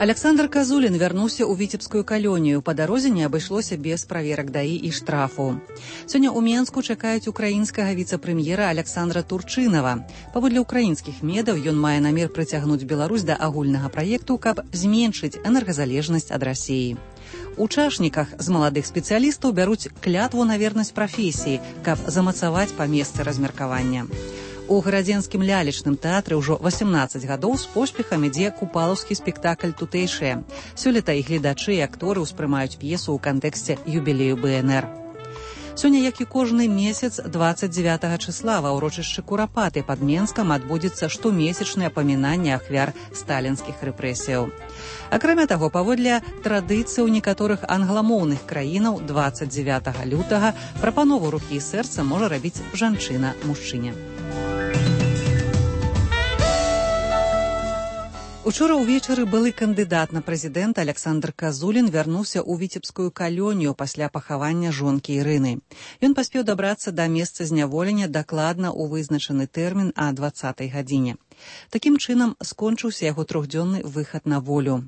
Александр Казулін вярнуўся ў віцебскую калонію. Па дарозе не абышлося без праверак даі і штрафу. Сёння ў Менску чакаюць украінскага віцэ-прэм'ера Александра Турчынава. Паводле украінскіх медаў ён мае намер прыцягнуць Беларусь да агульнага праекту, каб зменшыць энергазалежнасць ад Расіі. У чашніках з маладых спецыялістаў бяруць клятву на вернасць прафесіі, каб замацаваць па месцы размеркавання. У гарадзенскім лялечным тэатры ўжо васемнаццаць гадоў з поспехам ідзе купалаўскі спектакль «Тутэйшыя». Сёлета і гледачы і акторы ўспрымаюць п'есу ў кантэксце юбілею БНР. Сёння, як і кожны месяц, дваццаць дзевятага чысла ва ўрочышчы Курапаты пад Менскам адбудзецца штомесячнае памінанне ахвяр сталінскіх рэпрэсіяў. Акрамя таго, паводле традыцыі ў некаторых англамоўных краінаў дваццаць дзевятага лютага прапанову рукі і сэрца можа рабіць жанчына мужчыне. У Учора ўвечары былы кандыдат на прэзідэнта Александр Казулін вярнуўся ў віцебскую калонію пасля пахавання жонкі Ірыны. Ён паспеў дабрацца да месца зняволення дакладна ў вызначаны тэрмін а дваццатай гадзіне. Такім чынам скончыўся яго трохдзённы выхад на волю.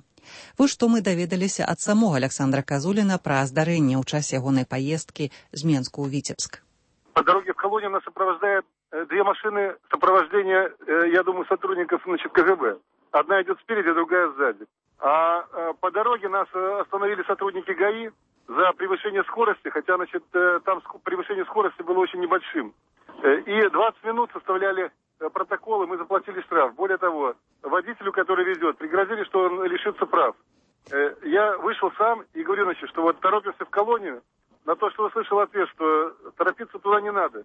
Вось што мы даведаліся ад самога Александра Казуліна пра здарэнне ў час ягонай паездкі з Менску ў Витебск. По дороге в колонию нас сопровождает две машины сопровождения, я думаю, сотрудников, значит, ка гэ бэ. Одна идет спереди, другая сзади. А по дороге нас остановили сотрудники га и за превышение скорости, хотя, значит, там превышение скорости было очень небольшим. И двадцать минут составляли протоколы, мы заплатили штраф. Более того, водителю, который везет, пригрозили, что он лишится прав. Я вышел сам и говорю, значит, что вот торопимся в колонию. На то, что услышал ответ, что торопиться туда не надо.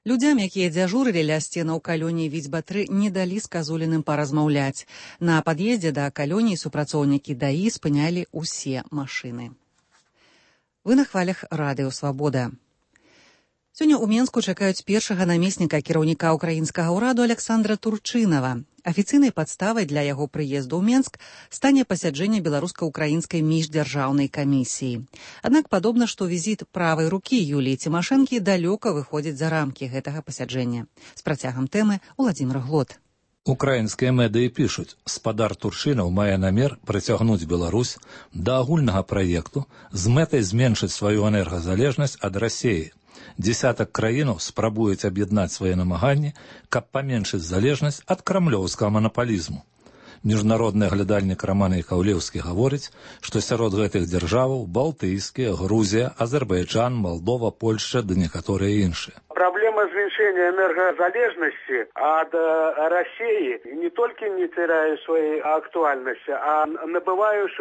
Людзям, якія дзяжурылі ля сценаў калоніі Віцьба-тры, не далі з Казуліным паразмаўляць. На пад'ездзе да калоніі супрацоўнікі да і спынялі ўсе машыны. Вы на хвалях радыё «Свабода». Сёння ў Менску чакаюць першага намесніка кіраўніка ўкраінскага ўраду Александра Турчынава. Афіцыйнай падставай для яго прыезду ў Менск стане пасяджэнне беларуска-украінскай міждзяржаўнай камісіі. Аднак падобна, што візіт правай рукі Юліі Цімашэнкі далёка выходзіць за рамкі гэтага пасяджэння. З працягам тэмы Уладзімір Глот. Украінскія медыі пішуць, спадар Турчынаў мае намер прыцягнуць Беларусь да агульнага праекту з мэтай зменшыць сваю энергазалежнасць ад Расіі. Десятак краінаў спрабуюць аб'яднаць свае намаганні, каб паменшыць залежнасць ад крамлёўскага манапалізму. Міжнародны аглядальнік Роман Яковлеўскі гаворыць, што сярод гэтых дзяржаваў Балтыйскія, Грузія, Азербайджан, Молдова, Польша ды некаторыя іншыя. Проблема зменшения энергозалежности от России не только не теряет своей актуальности, а набывает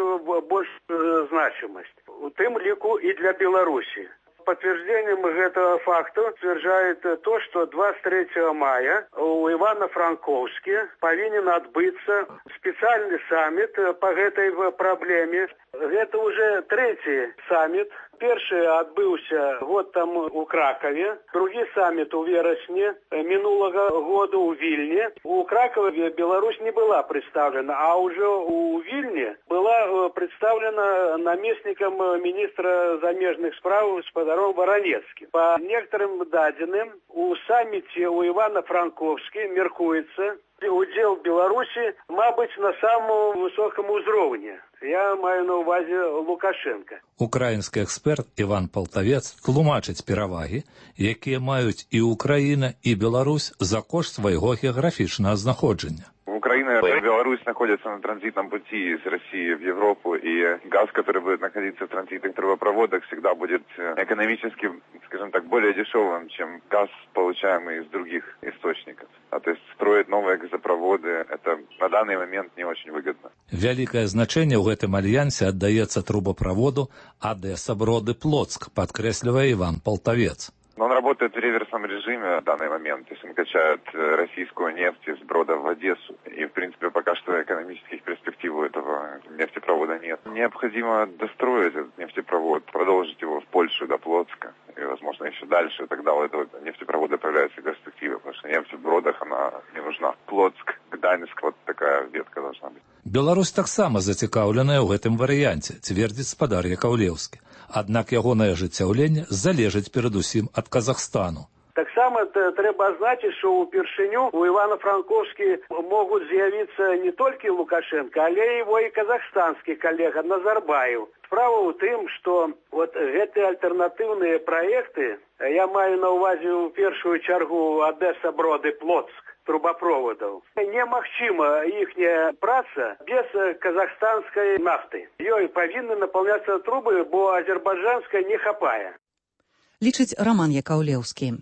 большую значимость. В том лику и для Беларуси. Подтверждением этого факта утверждает то, что двадцать третьего мая у Ивано-Франковске повинен отбыться специальный саммит по этой проблеме. Это уже третий саммит. Перший отбылся год тому у Кракове, другий саммит у вересня минулого года у Вильне. У Кракова Беларусь не была представлена, а уже у Вильне была представлена наместником министра замежных справ господаром Воронецким. По некоторым данным, у саммите у Ивано-Франковске меркуется удел Беларуси, мабуть, на самому высокому уровне. Я маю на увазі Лукашенка. Украінскі експерт Іван Полтавец тлумачыць перавагі, якія маюць і Украіна, і Беларусь за кошт свайго геаграфічнага знаходжання. Украина и Беларусь находятся на транзитном пути из России в Европу, и газ, который будет находиться в транзитных трубопроводах, всегда будет экономически, скажем так, более дешевым, чем газ, получаемый из других источников. А то есть строить новые газопроводы, это на данный момент не очень выгодно. Вялікае значэнне ў гэтым альянсе аддаецца трубопроводу Одесса-Броды-Плотск, подкресливая Иван Полтавец. Но он работает в реверсном режиме в данный момент. То есть он качает российскую нефть из Брода в Одессу. И, в принципе, пока что экономических перспектив у этого нефтепровода нет. Необходимо достроить этот нефтепровод, продолжить его в Польшу до Плотска. И, возможно, еще дальше. Тогда у этого нефтепровода появляются перспективы. Потому что нефть в Бродах, она не нужна. Плотск, Гданьск, вот такая ветка должна быть. Беларусь таксама зацікаўленая ў гэтым варыянце, цвердзіць спадар Яковлеўскі. Аднак ягонае ажыццяўленне залежыць перадусім ад Казахстану. Так само треба азначыць, што ўпершыню у Івано-Франковскі могуць з'явіцца не толькі Лукашенко, але его і казахстанскі калега Назарбаев. Справа ў тым, што вот гэтыя альтэрнатыўныя праекты, я маю на ўвазе ў першую чаргу Одесса-Броды-Плотск, трубопроводов. Немагчыма іхняя праца без казахстанской нафты. Ёй павінны наполняться трубы, бо азербайджанской не хапае. Лічыць Роман Яковлеўскі.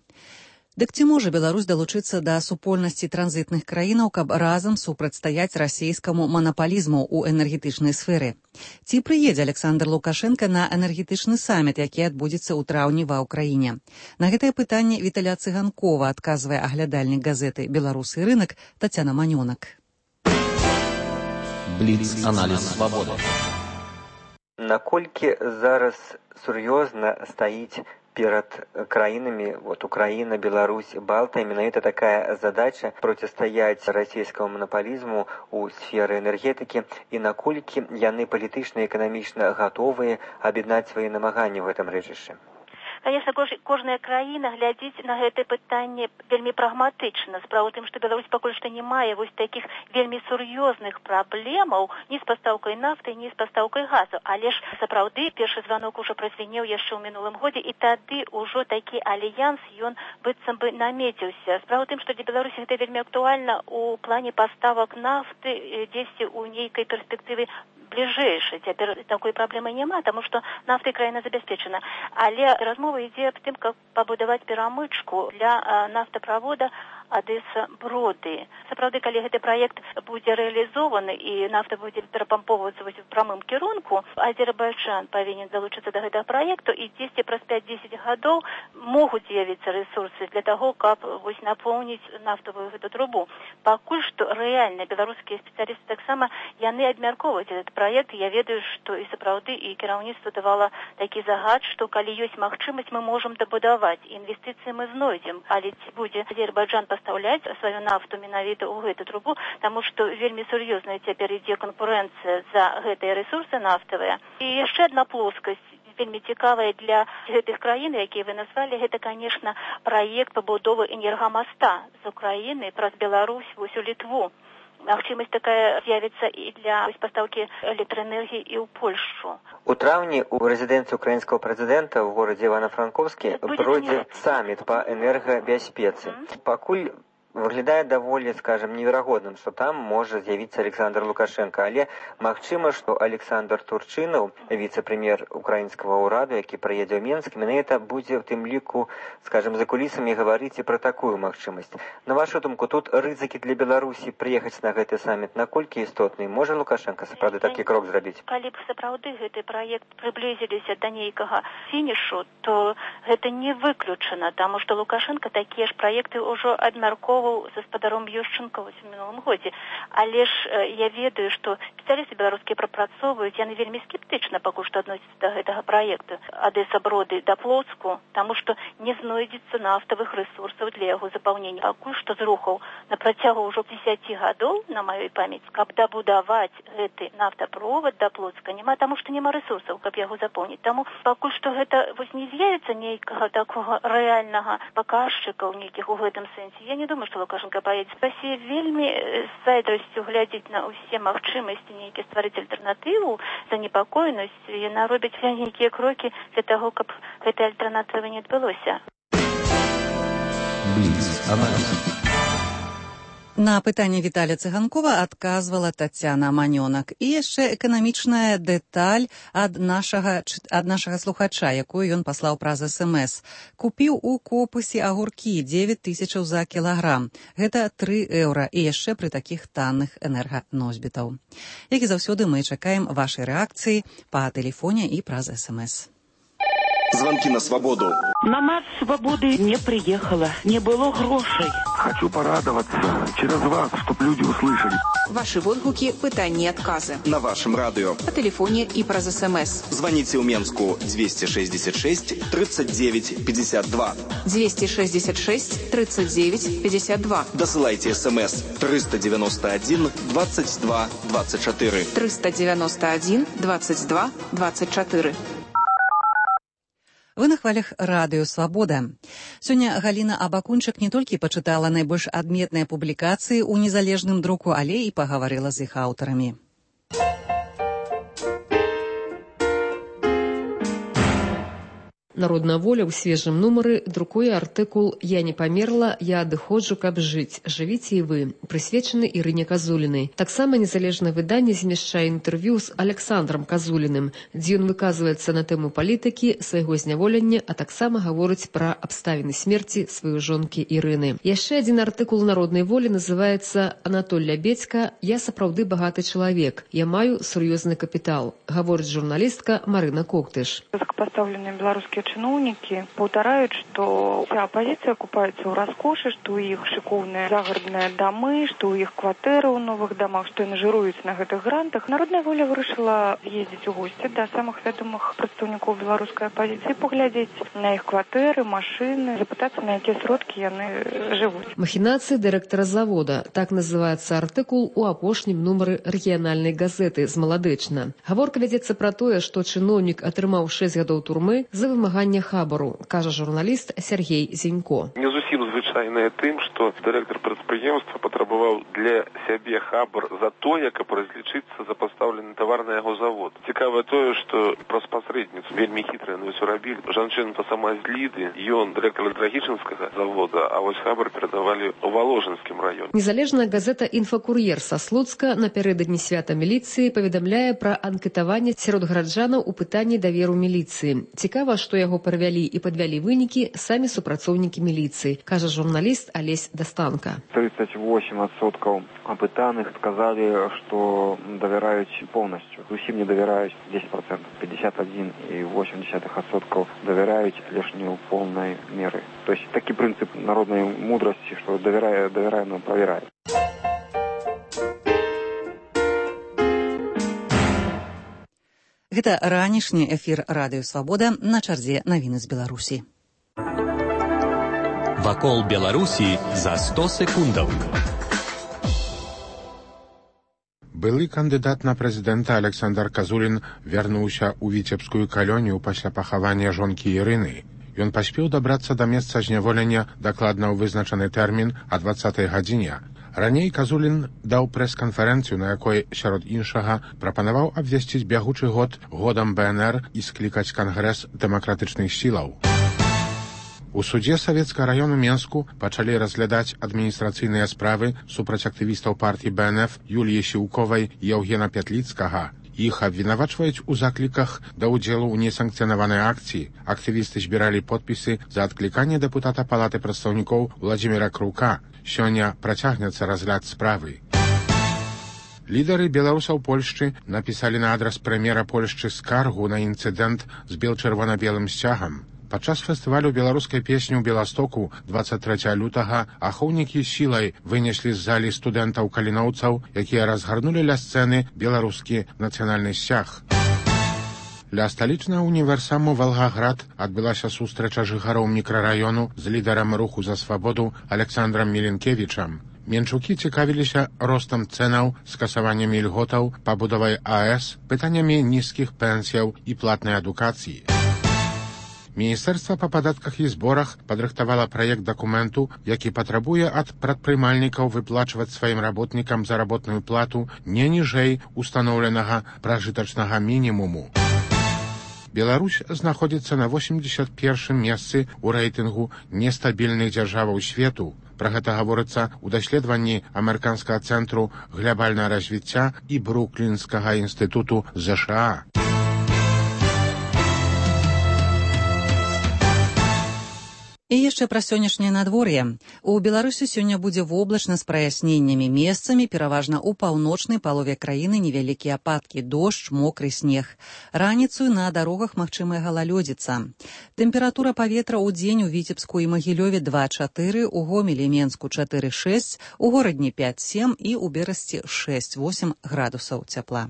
Дык ці можа Беларусь далучыцца да супольнасці транзітных краінаў, каб разам супрацьстаяць расійскаму манапалізму ў энергетычнай сферы? Ці прыедзе Александр Лукашенко на энергетычны саміт, які адбудзецца ў траўні ва ўкраіне? На гэтае пытанне Віталя Цыганкова адказвае аглядальнік газеты «Беларусы і рынак» Тацяна Манёнак. Бліц-аналіз «Свабоды». Наколькі зараз сур'ёзна стаіць перед краинами, вот Украина, Беларусь, Балта, именно это такая задача противостоять российскому монополизму у сферы энергетики и наколькі яны палітычна і эканамічна готовые объединять свои намагания в этом рэчышчы. Конечно, кожная краіна глядзіць на гэтае пытанне вельмі прагматычна. Справа ў тым, што Беларусь пакуль што не мае вось такіх вельмі сур'ёзных праблемаў ні з пастаўкай нафты, ні з пастаўкай газу. Але ж сапраўды першы званок ужо празвінеў яшчэ ў мінулым годзе, і тады ўжо такі альянс ён быццам бы намеціўся. Справа ў тым, што для Беларусі гэта вельмі актуальна ў плане паставак нафты дзесьці ў нейкай перспектыве бліжэйшай. Цяпер такой праблемы няма, таму што нафтай краіна забяспечана. Але размова ідзе аб тым, каб пабудаваць перамычку для нафтаправода Одесса-Броды. Сапраўды, калі гэты праект будзе рэалізованы і нафта будзе перапампоўвацца вось у прамым кірунку, Азербайджан павінен залучыцца да гэтага праекту, і дзесьці праз пяць-дзесяць гадоў могуць з'явіцца рэсурсы для таго, каб вось напоўніць нафтавую гэту трубу. Пакуль што рэальна беларускія спецыялісты таксама яны абмяркоўваюць этот праект. Я ведаю, што і сапраўды і кіраўніцтва давала такі загад, што калі ёсць магчымасць, мы можам дабудаваць. Інвестыцыі мы знойдзем, але ці будзе Азербайджан пастаўляць сваю нафту менавіта ў гэту трубу, таму што вельмі сур'ёзная цяпер ідзе канкурэнцыя за гэтыя рэсурсы нафтавыя. І яшчэ адна плоскасць вельмі цікавая для гэтых краін, якія вы назвалі, гэта, конечно, праект пабудовы энергамаста з Украіны праз Беларусь вось у Літву. Магчымасць такая з'явіцца і для пастаўкі электраэнергіі і ў Польшу. У траўні у рэзідэнцыі украінскага прэзідэнта ў горадзе Івана-Франкоўскі пройдзе саміт па энергабяспецы. Пакуль выглядае даволі, скажем, неверагодным, што там можа з'явіцца Александр Лукашенко, але магчыма, што Александр Турчынаў, віцэ-прэм'ер украінскага ўраду, які прыедзе ў Менск, менавіта будзе ў тым ліку, скажем, за кулісамі гаварыць і пра такую магчымасць. На вашу думку, тут рызыкі для Беларусі прыехаць на гэты саміт наколькі істотны? Можа Лукашенко сапраўды такі крок зрабіць? Калі б сапраўды гэты праект прыблізіліся да нейкага фінішу, то гэта не выключана, таму што Лукашенко такія ж праекты ўжо абмяркоўваў з гаспадаром Ющенко в мінулым годзе. Але ж я ведаю, што спецыялісты беларускія прапрацоўваюць, яны вельмі скептычна пакуль што адносяцца да гэтага праекту Одесса-Броды да Плоцку, таму што не знойдзецца нафтавых рэсурсаў для яго запаўнення. Пакуль што зрухаў на працягу ўжо дзесяці гадоў, на маёй памяць, каб дабудаваць гэты нафтаправод да Плоцка няма, таму што няма рэсурсаў, каб яго запоўніць. Таму пакуль што гэта вось не з'явіцца нейкага такога рэальнага паказчыка ў нейкіх у гэтым сэнсе. Я не думаю, што Лукашенко поедет. Россия вельмі з зайздрасцю глядзіць на ўсе магчымасці нейкі стварыць альтэрнатыву, занепакоенасць, яна робіць нейкія крокі для таго, каб гэтай альтэрнатывы не адбылося. На пытанне Віталя Цыганкова адказвала Тацяна Манёнак. І яшчэ эканамічная дэталь ад нашага, ад нашага слухача, якую ён паслаў праз эс эм эс. Купіў у Копысе агуркі дзевяць тысячаў за кілаграм. Гэта тры еўра. І яшчэ пры такіх танных энерганосьбітаў. Як і заўсёды, мы чакаем вашай рэакцыі па тэлефоне і праз эс эм эс. Звонки на свободу. На марш свободы не приехала, не было грошей. Хочу порадоваться через вас, чтобы люди услышали. Ваши водгуки, пытания и отказы. На вашем радио. По телефоне и про СМС. Звоните у Менску двести шестьдесят шесть тридцать девять пятьдесят два. двести шестьдесят шесть тридцать девять пятьдесят два. Досылайте СМС триста девяносто один двадцать два двадцать четыре. триста девяносто один двадцать два двадцать четыре. Вы на хвалях радыё «Свабода». Сёння Галіна Абакунчык не толькі пачытала найбольш адметныя публікацыі ў незалежным друку, але і пагаварыла з іх аўтарамі. Народная воля ў свежым нумары друкуе артыкул «Я не памерла, я адыходжу, каб жыць. Жывіце і вы», прысвечаны Ірыне Казулінай. Таксама незалежнае выданне змяшчае інтэрв'ю з Александром Казуліным, дзе ён выказваецца на тэму палітыкі, свайго зняволення, а таксама гаворыць пра абставіны смерці сваёй жонкі Ірыны. Яшчэ адзін артыкул народнай волі называецца «Анатоль Лябедзька. Я сапраўды багаты чалавек. Я маю сур'ёзны капітал», гаворыць журналістка Марына Коктыш. Высокопоставленные белорусские чиновники повторяют, что вся оппозиция купается в роскоши, что у их шиковные загородные домы, что у их квартиры в новых домах, что они жируются на этих грантах. Народная воля вырашила ездить в гости до самых ведомых представников белорусской оппозиции, поглядеть на их квартиры, машины, запытаться, на какие сродки они живут. Махинации директора завода. Так называется артыкул у апошнім нумары рэгіянальнай газеты з Маладычна. Гаворка вядзецца пра тое, што чыноўнік атрымаў шэсць гадоў турмы за вымаганне хабару, кажа журналіст Сергей Зенько. Не зусім звычайнае тым, што дырэктар прадпрыемства патрабаваў для сябе хабар за тое, каб разлічыцца за пастаўлены тавар на яго завод. Цікава тое, што праз пасрэдніцу вельмі хітра яны ўсё рабілі. Жанчына-то сама з Ліды, ён дырэктар Драгічынскага завода, а вось хабар перадавалі ў Воложынскім раёне. Незалежная газета «Інфакур'ер» са Слуцка напярэдадні свята міліцыі паведамляе пра анкетаванне сярод гараджанаў у пытанні даверу міліцыі. Цікава, што яго правялі і падвялі вынікі самі супрацоўнікі міліцыі, кажа журналіст Алесь Дастанка. тридцать восемь процентов опытанных сказали, что доверяют полностью. Зусім не доверяют десять процентов. пятьдесят один и восемь десятых процента доверяют лишь не в полной меры. То есть такой принцип народной мудрости, что доверяя, доверяя, но проверяет. Гэта ранішні эфір радыё Свабода, на чарзе навіны з Беларусі. Вакол Беларусі за сто секундаў. Былы кандыдат на прэзідэнта Александр Казулін вярнуўся ў віцебскую калонію пасля пахавання жонкі Ірыны. Ён паспеў дабрацца да месца зняволення дакладна ў вызначаны тэрмін а дваццатай гадзіне. Раней Казулін даў прэс-канферэнцыю, на якой, сярод іншага, прапанаваў абвясціць бягучы год годам бэ эн эр і склікаць кангрэс дэмакратычных сілаў. У судзе Савецкага раёну Менску пачалі разглядаць адміністрацыйныя справы супраць актывістаў партыі бэ эн эф Юліі Сіўковай і Яўгена Пятліцкага. Іх абвінавачваюць у закліках да ўдзелу ў несанкцыянаванай акцыі. Актывісты збіралі подпісы за адкліканне дэпутата Палаты прадстаўнікоў Владзіміра Крука. Сёння працягнецца разгляд справы. Лідары беларусаў Польшчы напісалі на адрас прэм'ера Польшчы скаргу на інцыдэнт з бел-чырвона-белым сцягам. Падчас фестывалю беларускай песні ў Беластоку дваццаць трэцяга лютага ахоўнікі сілай вынеслі з залі студэнтаў каліноўцаў, якія разгарнулі ля сцэны беларускі нацыянальны сцяг. Ля сталічнага універсаму Валгаград адбылася сустрэча жыхароў мікрараёну з лідарам руху за свабоду Александрам Міленкевічам. Менчукі цікавіліся ростам цэнаў, скасаваннем ільготаў, пабудовай а эс, пытаннямі нізкіх пенсіяў і платнай адукацыі. Міністэрства па падатках і зборах падрыхтавала праект дакументу, які патрабуе ад прадпрымальнікаў выплачваць сваім работнікам заработную плату не ніжэй устаноўленага пражытачнага мінімуму. Беларусь знаходзіцца на восемьдесят першым месцы ў рэйтынгу нестабільных дзяржаваў свету. Пра гэта гаворыцца ў даследаванні амерыканскага цэнтру глябальнага развіцця і Бруклінскага інстытуту ЗША. І яшчэ пра сённяшняе надвор'е. У Беларусі сёння будзе воблачна з праясненнямі, месцамі пераважна ў паўночнай палове краіны невялікія ападкі, дождж, мокры снег. Раніцаю на дарогах магчымая галалёдзіца. Тэмпература паветра ў дзень у Віцебску і Магілёве два чатыры, у Гомелі і Менску чатыры шэсць, у горадні пяць сем і ў Берасці шэсць восемь градусаў цяпла.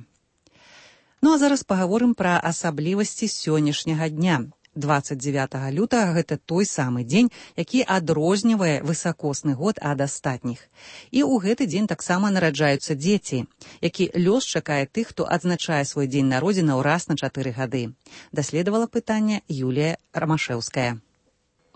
Ну а зараз пагаворым пра асаблівасці сённяшняга дня. дваццаць дзевятага лютага гэта той самы дзень, які адрознівае высакосны год ад астатніх. І ў гэты дзень таксама нараджаюцца дзеці, які лёс чакае тых, хто адзначае свой дзень народзінаў раз на чатыры гады. Даследавала пытанне Юлія Рамашэўская.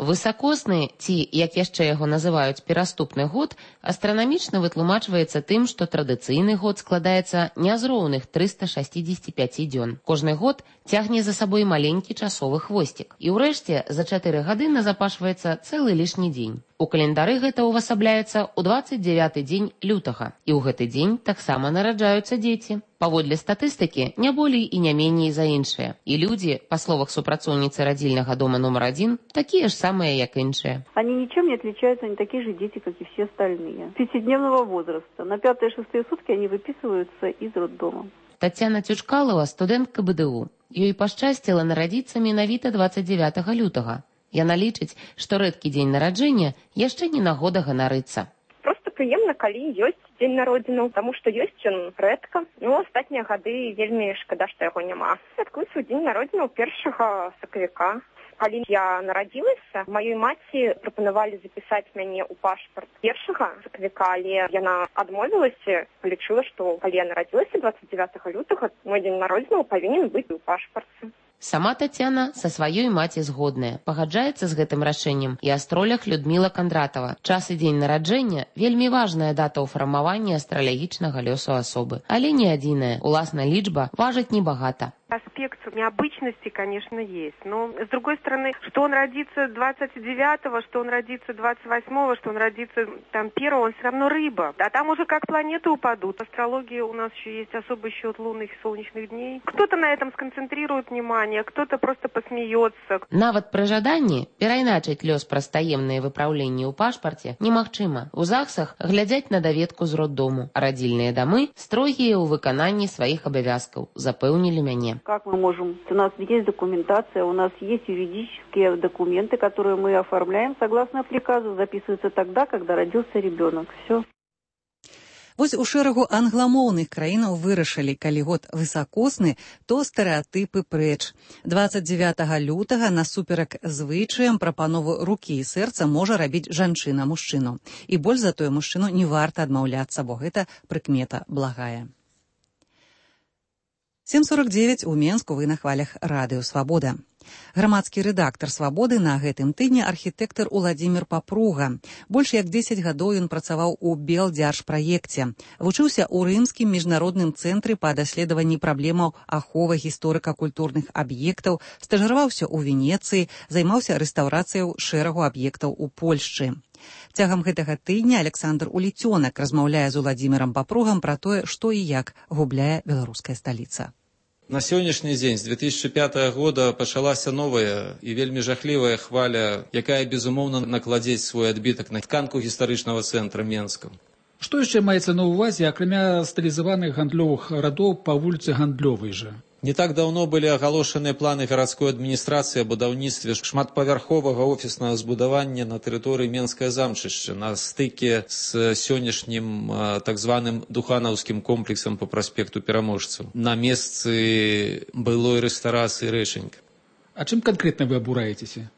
Высакосны, ці, як яшчэ яго называюць, пераступны год, астранамічна вытлумачваецца тым, што традыцыйны год складаецца не з роўных трыста шэсцьдзесят пяць дзён. Кожны год цягне за сабой маленькі часовы хвосцік. І ўрэшце за чатыры гады назапашваецца цэлы лішні дзень. У календары гэта ўвасабляецца ў дваццаць дзявяты дзень лютага, і ў гэты дзень таксама нараджаюцца дзеці. Паводле статыстыкі, не болей і не меней за іншыя. І людзі, па словах супрацоўніцы радзільнага дома нумар адзін, такія ж самыя, як іншыя. Они ничем не отличаются, они такие же дети, как и все остальные. Пятидневного возраста. На пятые-шестые сутки они выписываются из роддома. Тацяна Цючкалова, студэнтка бэ дэ у. Ёй пашчасціла нарадзіцца менавіта дваццаць дзявятага лютага. Яна лічыць, што рэдкі дзень нараджэння яшчэ не нагода ганарыцца. Просто прыемна, калі ёсць дзень народзінаў, таму што ёсць ён рэдка. Ну, астатнія гады вельмі шкада, што яго няма. Святкую свой дзень народзінаў першага сакавіка. Калі я нарадзілася, маёй маці прапанавалі запісаць мяне ў пашпарт першага сакавіка, але яна адмовілася, лічыла, што калі я нарадзілася дваццаць дзявятага лютага, мой дзень народзінаў павінен быць у пашпарце. Сама Тацяна са сваёй маці згодная, пагаджаецца з гэтым рашэннем і астролях Людміла Кандратава. Час і дзень нараджэння – вельмі важная дата ў фармаванні астралягічнага лёсу асобы. Але не адзіная, уласна лічба важыць небагата. Аспект необычности, конечно, есть. Но, с другой стороны, что он родится двадцать девятого, что он родится двадцать восьмого, что он родится там первого, он все равно рыба. А там уже как планеты упадут. В астрологии у нас еще есть особый счет лунных и солнечных дней. Кто-то на этом сконцентрирует внимание, кто-то просто посмеется. Нават пры жаданні перайначыць лёс праз таемныя выпраўленні ў пашпарце немагчыма. У ЗАГСах глядзяць на даведку з роддому, а радзільныя дамы строгія ў выкананні сваіх абавязкаў, запэўнілі мяне. Как мы можем? У нас есть документация, у нас есть юридические документы, которые мы оформляем согласно приказу, записываются тогда, когда родился ребенок. Все. Вось у шэрагу англамоўных краінаў вырашылі, калі год высакосны, то стэрэатыпы прэч. дваццаць дзявятага лютага насуперак звычаям прапанову рукі і сэрца можа рабіць жанчына мужчыну. І больш за тое мужчыну не варта адмаўляцца, бо гэта прыкмета благая. сем сорок девять у Менску, вы на хвалях Радыё Свабода. Грамадскі рэдактар «Свабоды» на гэтым тыдні архітэктар Уладзімір Папруга. Больш як дзесяць гадоў ён працаваў у Белдзяржпраекце. Вучыўся ў рымскім міжнародным цэнтры па даследаванні праблемаў аховы гісторыка-культурных аб'ектаў, стажыраваўся ў Венецыі, займаўся рэстаўрацыяй шэрагу аб'ектаў у Польшчы. Цягам гэтага тыдня Александр Уліцёнак размаўляе з Уладзімірам Папругам пра тое, што і як губляе беларуская сталіца. На сённяшні дзень з две тысячы пятага года пачалася новая і вельмі жахлівая хваля, якая, безумоўна, накладзець свой адбітак на тканку гістарычнага цэнтра Менска. Што яшчэ маецца на ўвазе, акрамя стылізаваных гандлёвых радоў па вуліцы Гандлёвай жа? Не так даўно былі агалошаныя планы гарадской адміністрацыі о будаўніцтве шматпавярховага офіснага збудавання на тэрыторыі Менскае замчышча на стыке з сённяшнім так званым духанаўскім комплексам по праспекту Пераможцаў на месцы былой рэстарацыі Рэчанька. А чым канкрэтна вы абураецеся?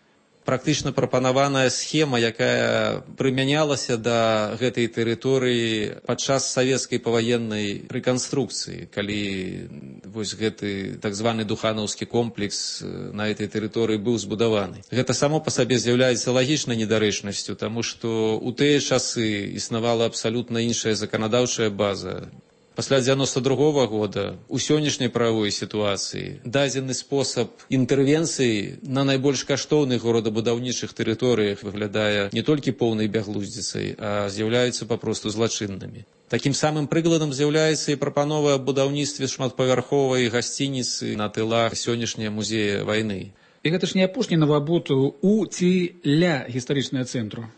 Практычна прапанаваная схема, якая прымянялася да гэтай тэрыторыі падчас савецкай паваеннай рэканструкцыі, калі вось гэты так званы духанаўскі комплекс на этой тэрыторыі быў збудаваны. Гэта само па сабе з'яўляецца лагічнай недарэчнасцю, таму што ў тыя часы існавала абсалютна іншая заканадаўчая база. Пасля дзевяносто другого года у сённяшняй правовой сітуацыі дадзены спосаб інтэрвенцыі на найбольш каштоўных горадабудаўнічых тэрыторыях выглядае не толькі поўнай бяглуздзіцай, а з'яўляюцца папросту злачыннымі. Такім самым прыкладам з'яўляецца і прапанова аб будаўніцтве шматпавярховай гасцініцы на тылах сённяшняга музея вайны. І гэта ж не апошні навабуд у ці ля гістарычнага цэнтру.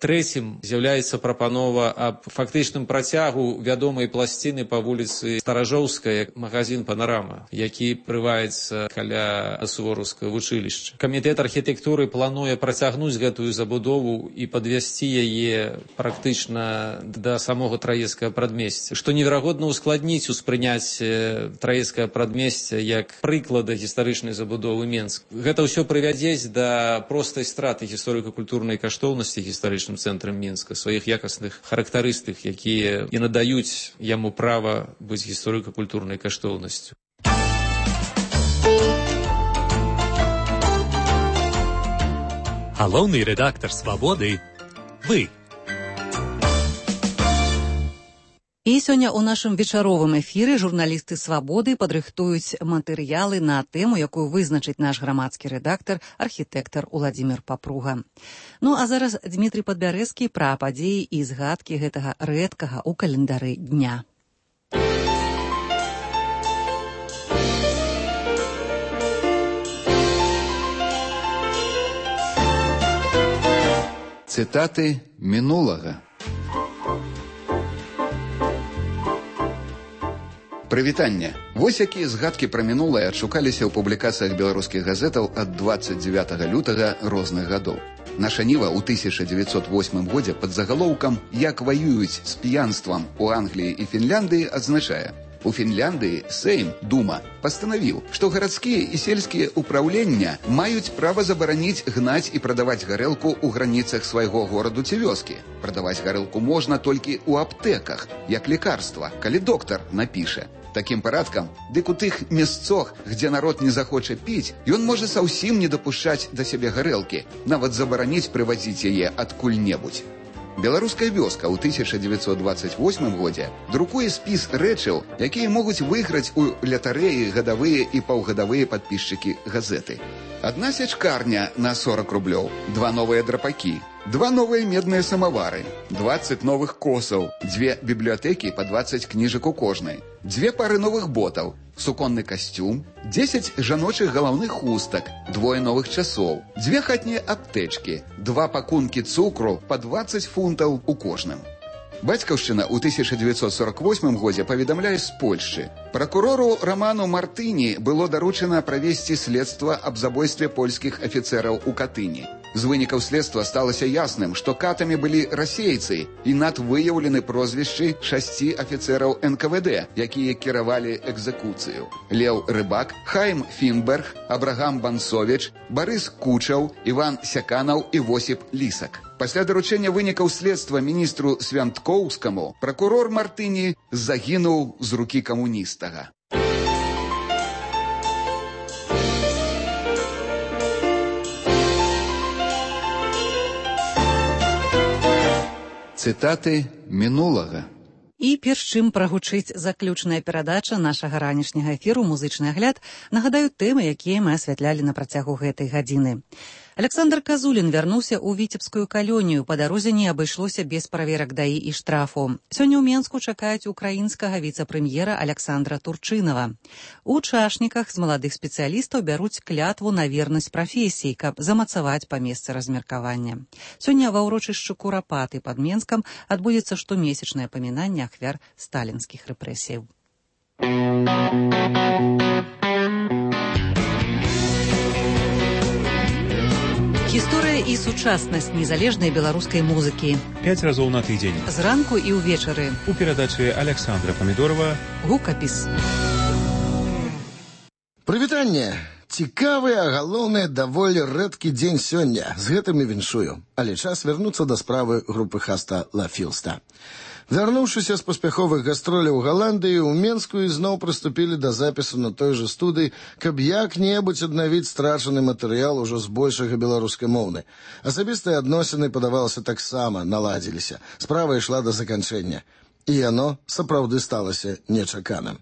Трэцім з'яўляецца прапанова аб фактычным працягу вядомай пласціны па вуліцы Старажоўская, магазин «Панарама», які прываецца каля сувораўскага вучылішча. Камітэт архітэктуры плануе працягнуць гэтую забудову і падвесці яе практычна да самога Траецкага прадмесця, што неверагодна ускладніць успрыняцце Траецкага прадмесця як прыклада гістарычнай забудовы Менска. Гэта ўсё прывядзець да простай страты гісторыка-культурнай каштоўнасці гістарычнай цэнтрам Менска, сваіх якасных характарыстык, якія і надаюць яму права быць гісторыка-культурнай каштоўнасцю. Галоўны рэдактар «Свабоды» – вы. І сёння ў нашым вечаровым эфіры журналісты «Свабоды» падрыхтуюць матэрыялы на тэму, якую вызначыць наш грамадскі рэдактар, архітэктар Уладзімір Папруга. Ну а зараз Дмітрый Падбярэзкі пра падзеі і згадкі гэтага рэдкага ў календары дня. Цытаты мінулага. Прывітанне. Вось якія згадкі пра мінулае адшукаліся ў публікацыях беларускіх газетаў ад дваццаць дзевятага лютага розных гадоў. Наша Ніва ў тысяча дзевяцьсот восьмым годзе пад загалоўкам «Як ваююць з п'янствам у Англіі і Фінляндыі» адзначае: у Фінляндыі Сейм, Дума, пастанавіў, што гарадскія і сельскія ўпраўлення маюць права забараніць гнаць і прадаваць гарэлку ў граніцах свайго гораду ці вёскі. Прадаваць гарэлку можна толькі ў аптэках, як лекарства, калі доктар напіша. Такім парадкам, дык у тых месцах, дзе народ не захоча піць, ён можа заўсім не дапушчаць да сябе гарэлкі, нават забараніць прывазіць яе адкуль-небудзь. Беларуская вёска ў тысяча дзевяцьсот дваццаць восьмым годзе друкуе спіс рэчаў, якія могуць выйграць у лятарэі гадавыя і паўгадавыя падпісчыкі газеты. Адна сячкарня на сорак рублёў, два новыя драпакі, два новыя медныя самавары, дваццаць новых косаў, дзве бібліятэкі па дваццаць кніжак у кожнай, дзве пары новых ботаў, суконны касцюм, дзесяць жаночых галаўных хустак, двое новых часоў, дзве хатнія аптэчкі, два пакункі цукру па дваццаць фунтаў у кожным. Бацькаўшчына ў тысяча дзевяцьсот сорак восьмым годзе паведамляе з Польшчы. Пракурору Раману Мартыні было даручана правесці следства аб забойстве польскіх афіцэраў у Катыні. З вынікаў следства сталася ясным, што катамі былі расейцы, і над выяўлены прозвішчы шасці афіцэраў эн ка вэ дэ, якія кіравалі экзекуцыю. Леў Рыбак, Хайм Фінберг, Абрагам Бансовіч, Барыс Кучаў, Іван Сяканаў і Восіп Лісак. Пасля даручэння вынікаў следства міністру Свянткоўскаму пракурор Мартыні загінуў з рукі камуністага. Цытаты мінулага. І перш чым прагучыць заключная перадача нашага ранішняга эфіру «Музычны агляд», нагадаю тэмы, якія мы асвятлялі на працягу гэтай гадзіны. Александр Казулін вярнуўся ў віцебскую калонію. Па дарозе не абышлося без праверак даі і штрафу. Сёння ў Менску чакаюць украінскага віцэ-прэм'ера Александра Турчынава. У чашніках з маладых спецыялістаў бяруць клятву на вернасць прафесіі, каб замацаваць па месцы размеркавання. Сёння ва ўрочышчы Курапаты пад Менскам адбудзецца штомесячнае памінанне ахвяр сталінскіх рэпрэсіяў. Гісторыя і сучаснасць незалежнай беларускай музыкі. Пяць разоў на тыдзень. Зранку і ўвечары. У перадачы Александра Памідорова «Гукапіс». Прывітанне! Цікавы, а галоўнае, даволі рэдкі дзень сёння. З гэтым і віншую. Але час вярнуцца да справы групы Хаста Ла Філста. Вярнуўшыся з паспяховых гастроляў у Галандыі, у Менску ізноў прыступілі да запісу на той жа студыі, каб як-небудзь аднавіць страчаны матэрыял ужо збольшага беларускай моўны. Асабістыя адносіны, падавалася, таксама наладзіліся. Справа ішла да заканчэння. І яно сапраўды сталася нечаканым.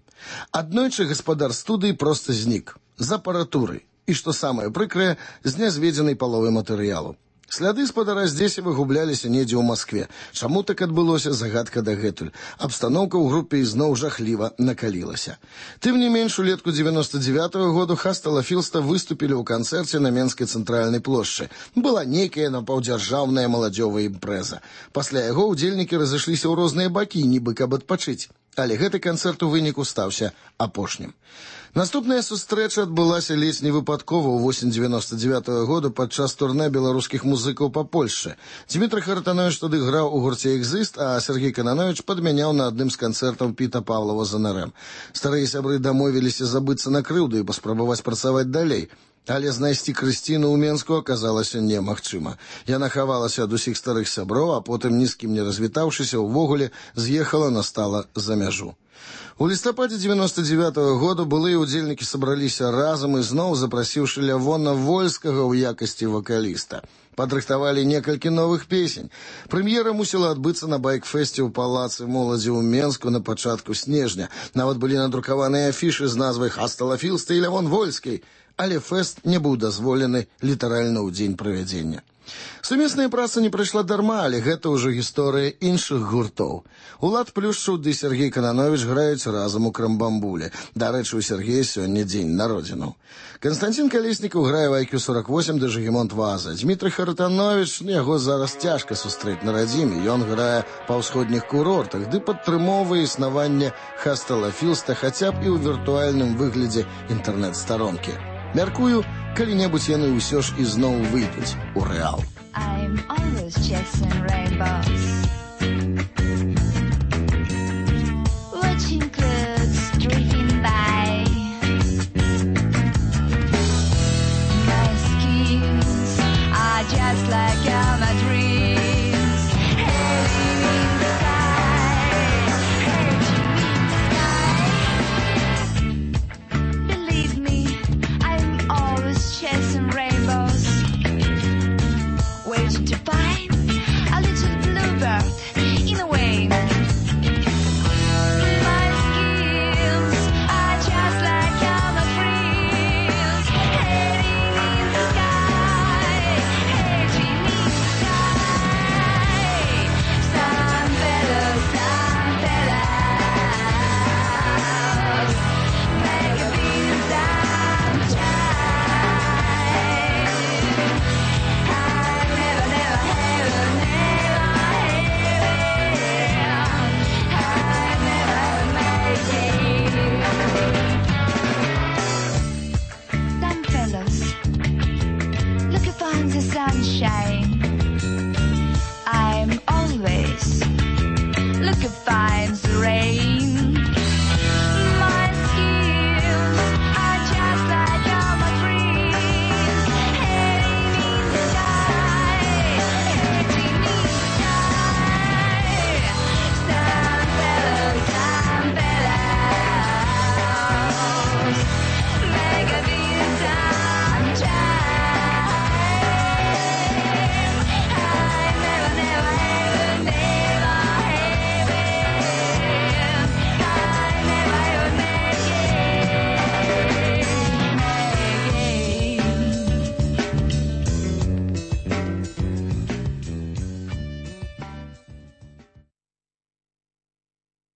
Аднойчы гаспадар студыі проста знік. З апаратурай. І, што самае прыкрае, з нязведзенай паловы матэрыялу. Сляды спадара здесь выгубляліся недзе ў Маскве. Чаму так адбылося, загадка дагэтуль. Абстаноўка ў групе ізноў жахліва накалілася. Тым не менш, улетку дзевяноста дзевятага году Хаста Ла Філста выступілі ў канцэрце на Менскай цэнтральнай плошчы. Была нейкая напаўдзяржаўная маладзёвая імпрэза. Пасля яго ўдзельнікі разышліся ў розныя бакі, нібы каб адпачыць. Але гэты канцэрт у выніку стаўся апошнім. Наступная сустрэча адбылася ледзь невыпадкова ў восень дзевяноста дзевятага года падчас турнэ беларускіх музыкаў па Польшчы. Дмітрый Хартанович тады граў у гурце «Экзіст», а Сергей Кананович падмяняў на адным з канцэртаў Піта Павлова з эн эр эм. Старыя сябры дамовіліся забыцца на крыўду і паспрабаваць працаваць далей. Але знайсці Крысціну ў Менску аказалася немагчыма. Яна хавалася ад усіх старых сяброў, а потым, ні з кім не развітаўшыся, увогуле з'ехала, настала за мяжу. У лістападзе девяносто девятого года былыя ўдзельнікі сабраліся разам і зноў запрасіўшы Лявона Вольскага ў якасці вакаліста. Падрыхтавалі некалькі новых песень. Прэм'ера мусіла адбыцца на байк-фэсце ў палацы моладзі ў Менску на пачатку снежня. Нават былі надрукаваныя афішы з назвай «Хаста ла Філста» і «Лявон Вольскі», але фэст не быў дазволены літаральна ў дзень правядзення. Сумесная праца не прайшла дарма, але гэта ўжо гісторыя іншых гуртоў. Улад Плюшчаў ды Сергей Кананович граюць разам у Крамбамбуле. Дарэчы, у Сергея сёння дзень народзінаў. Канстантин Калеснікаў грае в ай кью сорок восемь ды Жагімонт Ваза. Дмітрый Харатанович, яго зараз цяжка сустрэць на радзіме. Ён грае па ўсходніх курортах ды падтрымоўвае існаванне «Хаста ла Філста» хаця б і ў віртуальным выглядзе інтэрнэт-старонкі. Мяркую, калі-небудзь яны ўсё ж ізноў выйдуць у рэал. I'm always chasing rainbows.